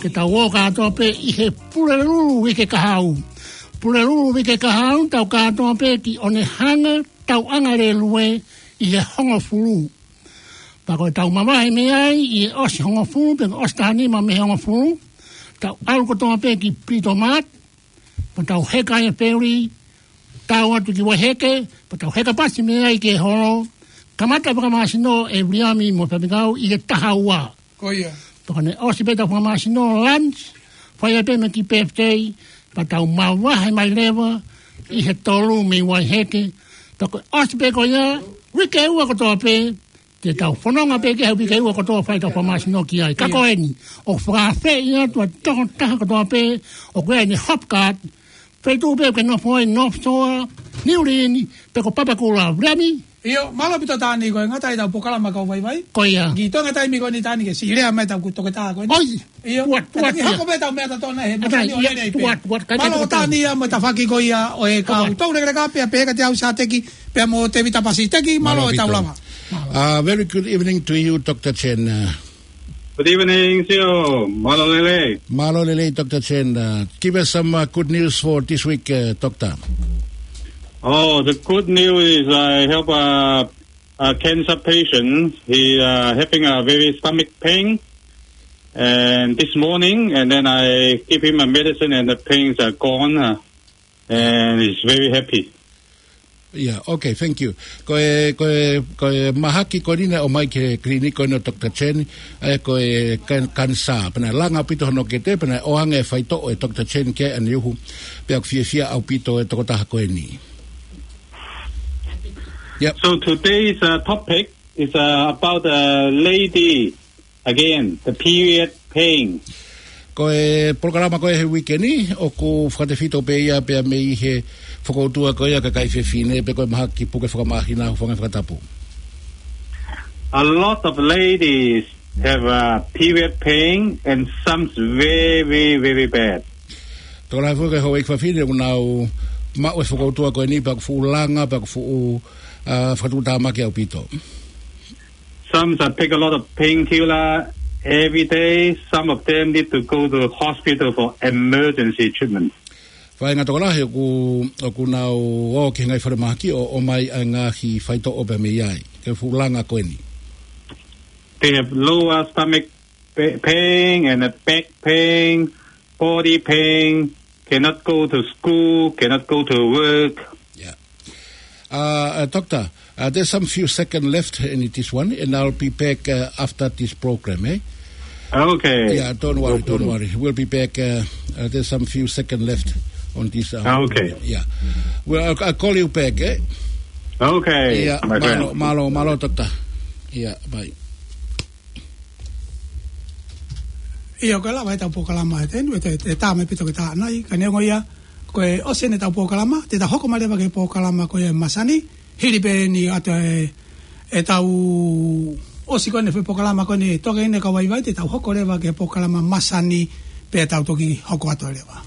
Ke tau ō kātoa pē ʻi he Pulelulu uike kahaʻu. Pulelulu uike kahaʻu, tau kātoa pē ki ʻOnehunga, tauʻanga lēlue ʻi he hongofulu. Pea ko e tau mavahe mei ai ʻi he ʻosi hongofulu, pe ʻosi taha nima mei he hongofulu. Tau ʻalu kotoa pē ki Britomart, pea tau heka ai e feli, tau ō atu ki Vaiheke, pea tau heka pasi mei ai ki he holo. Kamata fakamāsino ʻe Viliami mo e faifekau ʻi he taha ua. Ko ia. Pea ko ʻene ʻosi pē ʻetau fakamāsino lunch, fai ai pē mo e kiʻi birthday, pea tau mavahe mai leva ʻi he tolu mei Vaiheke. Pea ko e ʻosi pē ko ia, uike ua kotoa pē, te tau fononga pē ki he uike ua kotoa fai ʻetau fakamāsino ki ai. Ka ko eni, ʻoku fakaafeʻi atu ʻa e tokotaha kotoa pē ʻoku ʻi ai ʻene Hopcard, feituʻu pē ʻoku ke nofo ai, North Shore, Niu Lini, pe ko Papakura, Viliami. ʻIo, mālō ʻaupito Tani, ko e ngata ʻetau polokalama kau vaivai. Ko ia. Ki he toenga taimi ko eni Tani ke siʻi lea mai ʻetau toketā ko eni. ʻOi. ʻIo. Tuat, tuat, tuat. Hoko pē ʻetau meʻa tatona he mālō Tani ia, ʻo lelei pē. Tuat, tuat, mālō Tani ia mo e tafaʻaki ko ia ʻo e kau tau lekeleka pea pehē kiate au Sateki, pea mo Tēvita Pasiteki, mālō ʻetau lava. Mālō ʻaupito. Uh, very good evening to you, Doctor Chen. Uh, Good evening, Sio. Mālō lelei. Mālō lelei, Doctor Chen. Uh, give us some, uh, good news for this week, uh, Doctor. Oh, the good news is I help a, a cancer patient. He, uh, having a very stomach pain. And this morning, and then I give him a medicine and the pains are gone, uh, and he's very happy. Yeah, okay, thank you. Ko e, ko e, ko e mahaki ko eni naʻe ʻomai ki he kiliniki ko eni ʻo Doctor Chen, ʻa ia ko e kan-, kanisā. Pea naʻe langa ʻaupito hono kete, pea naʻe ʻoange e faitoʻo ʻe Doctor Chen ki ai ʻaneuhu, pea ʻoku fiefia ʻaupito e tokotaha ko eni. Yep. So today's, uh, topic is, uh, about a lady again, the period pain. Ko e polokalama ko ē he uike ni, ʻoku fakatefito pē ia pea mei he fokoutua ko ia ʻa e kakai fefine, pe ko e mahaki puke fakamahina, hūfanga he fakatapu. A lot of ladies have a period pain and some's very, very bad. Tokolahi foki ko e houʻeiki fefine ʻoku nau maʻu e fokoutua ko eni pea ʻoku fuʻu langa, pea ʻoku fuʻu, ā, fakatuʻutāmaki ʻaupito. Some that take a lot of painkiller every day. Some of them need to go to hospital for emergency treatment. Faʻahinga tokolahi ʻoku, ʻoku nau ō ki he ngaahi falemahaki ʻo, ʻomai ʻa e ngaahi faitoʻo pea mei ai. Ko e fuʻu langa ko eni. They have lower stomach pa-, pain and a back pain, body pain, cannot go to school, cannot go to work. Yeah. Uh, uh, Doctor, uh, there's some few seconds left in this one, and I'll be back, uh, after this program, eh? Okay. Yeah, don't worry, don't worry. We'll be back. Uh, uh, there's some few seconds left on this. Uh, okay. Yeah. Well, I'll, I'll call you back, eh? Okay, yeah, my friend. Mālō, mālō, mālō, Doctor. Yeah, bye. ʻIo, ko e lava ʻetau polokalama he taimi ni, ʻe, ʻe tā mai pē ʻetau ke tā nai, ka neongo ia, ko e ʻosi eni ʻetau polokalama, te tau hoko mai leva ki he polokalama ko ia ʻa e masani, hili pē eni ʻa e, ʻetau ʻosi ko eni he polokalama ko eni, toke eni ka vaivai, te tau hoko leva ki he polokalama masani, pea tau toki hoko atu leva.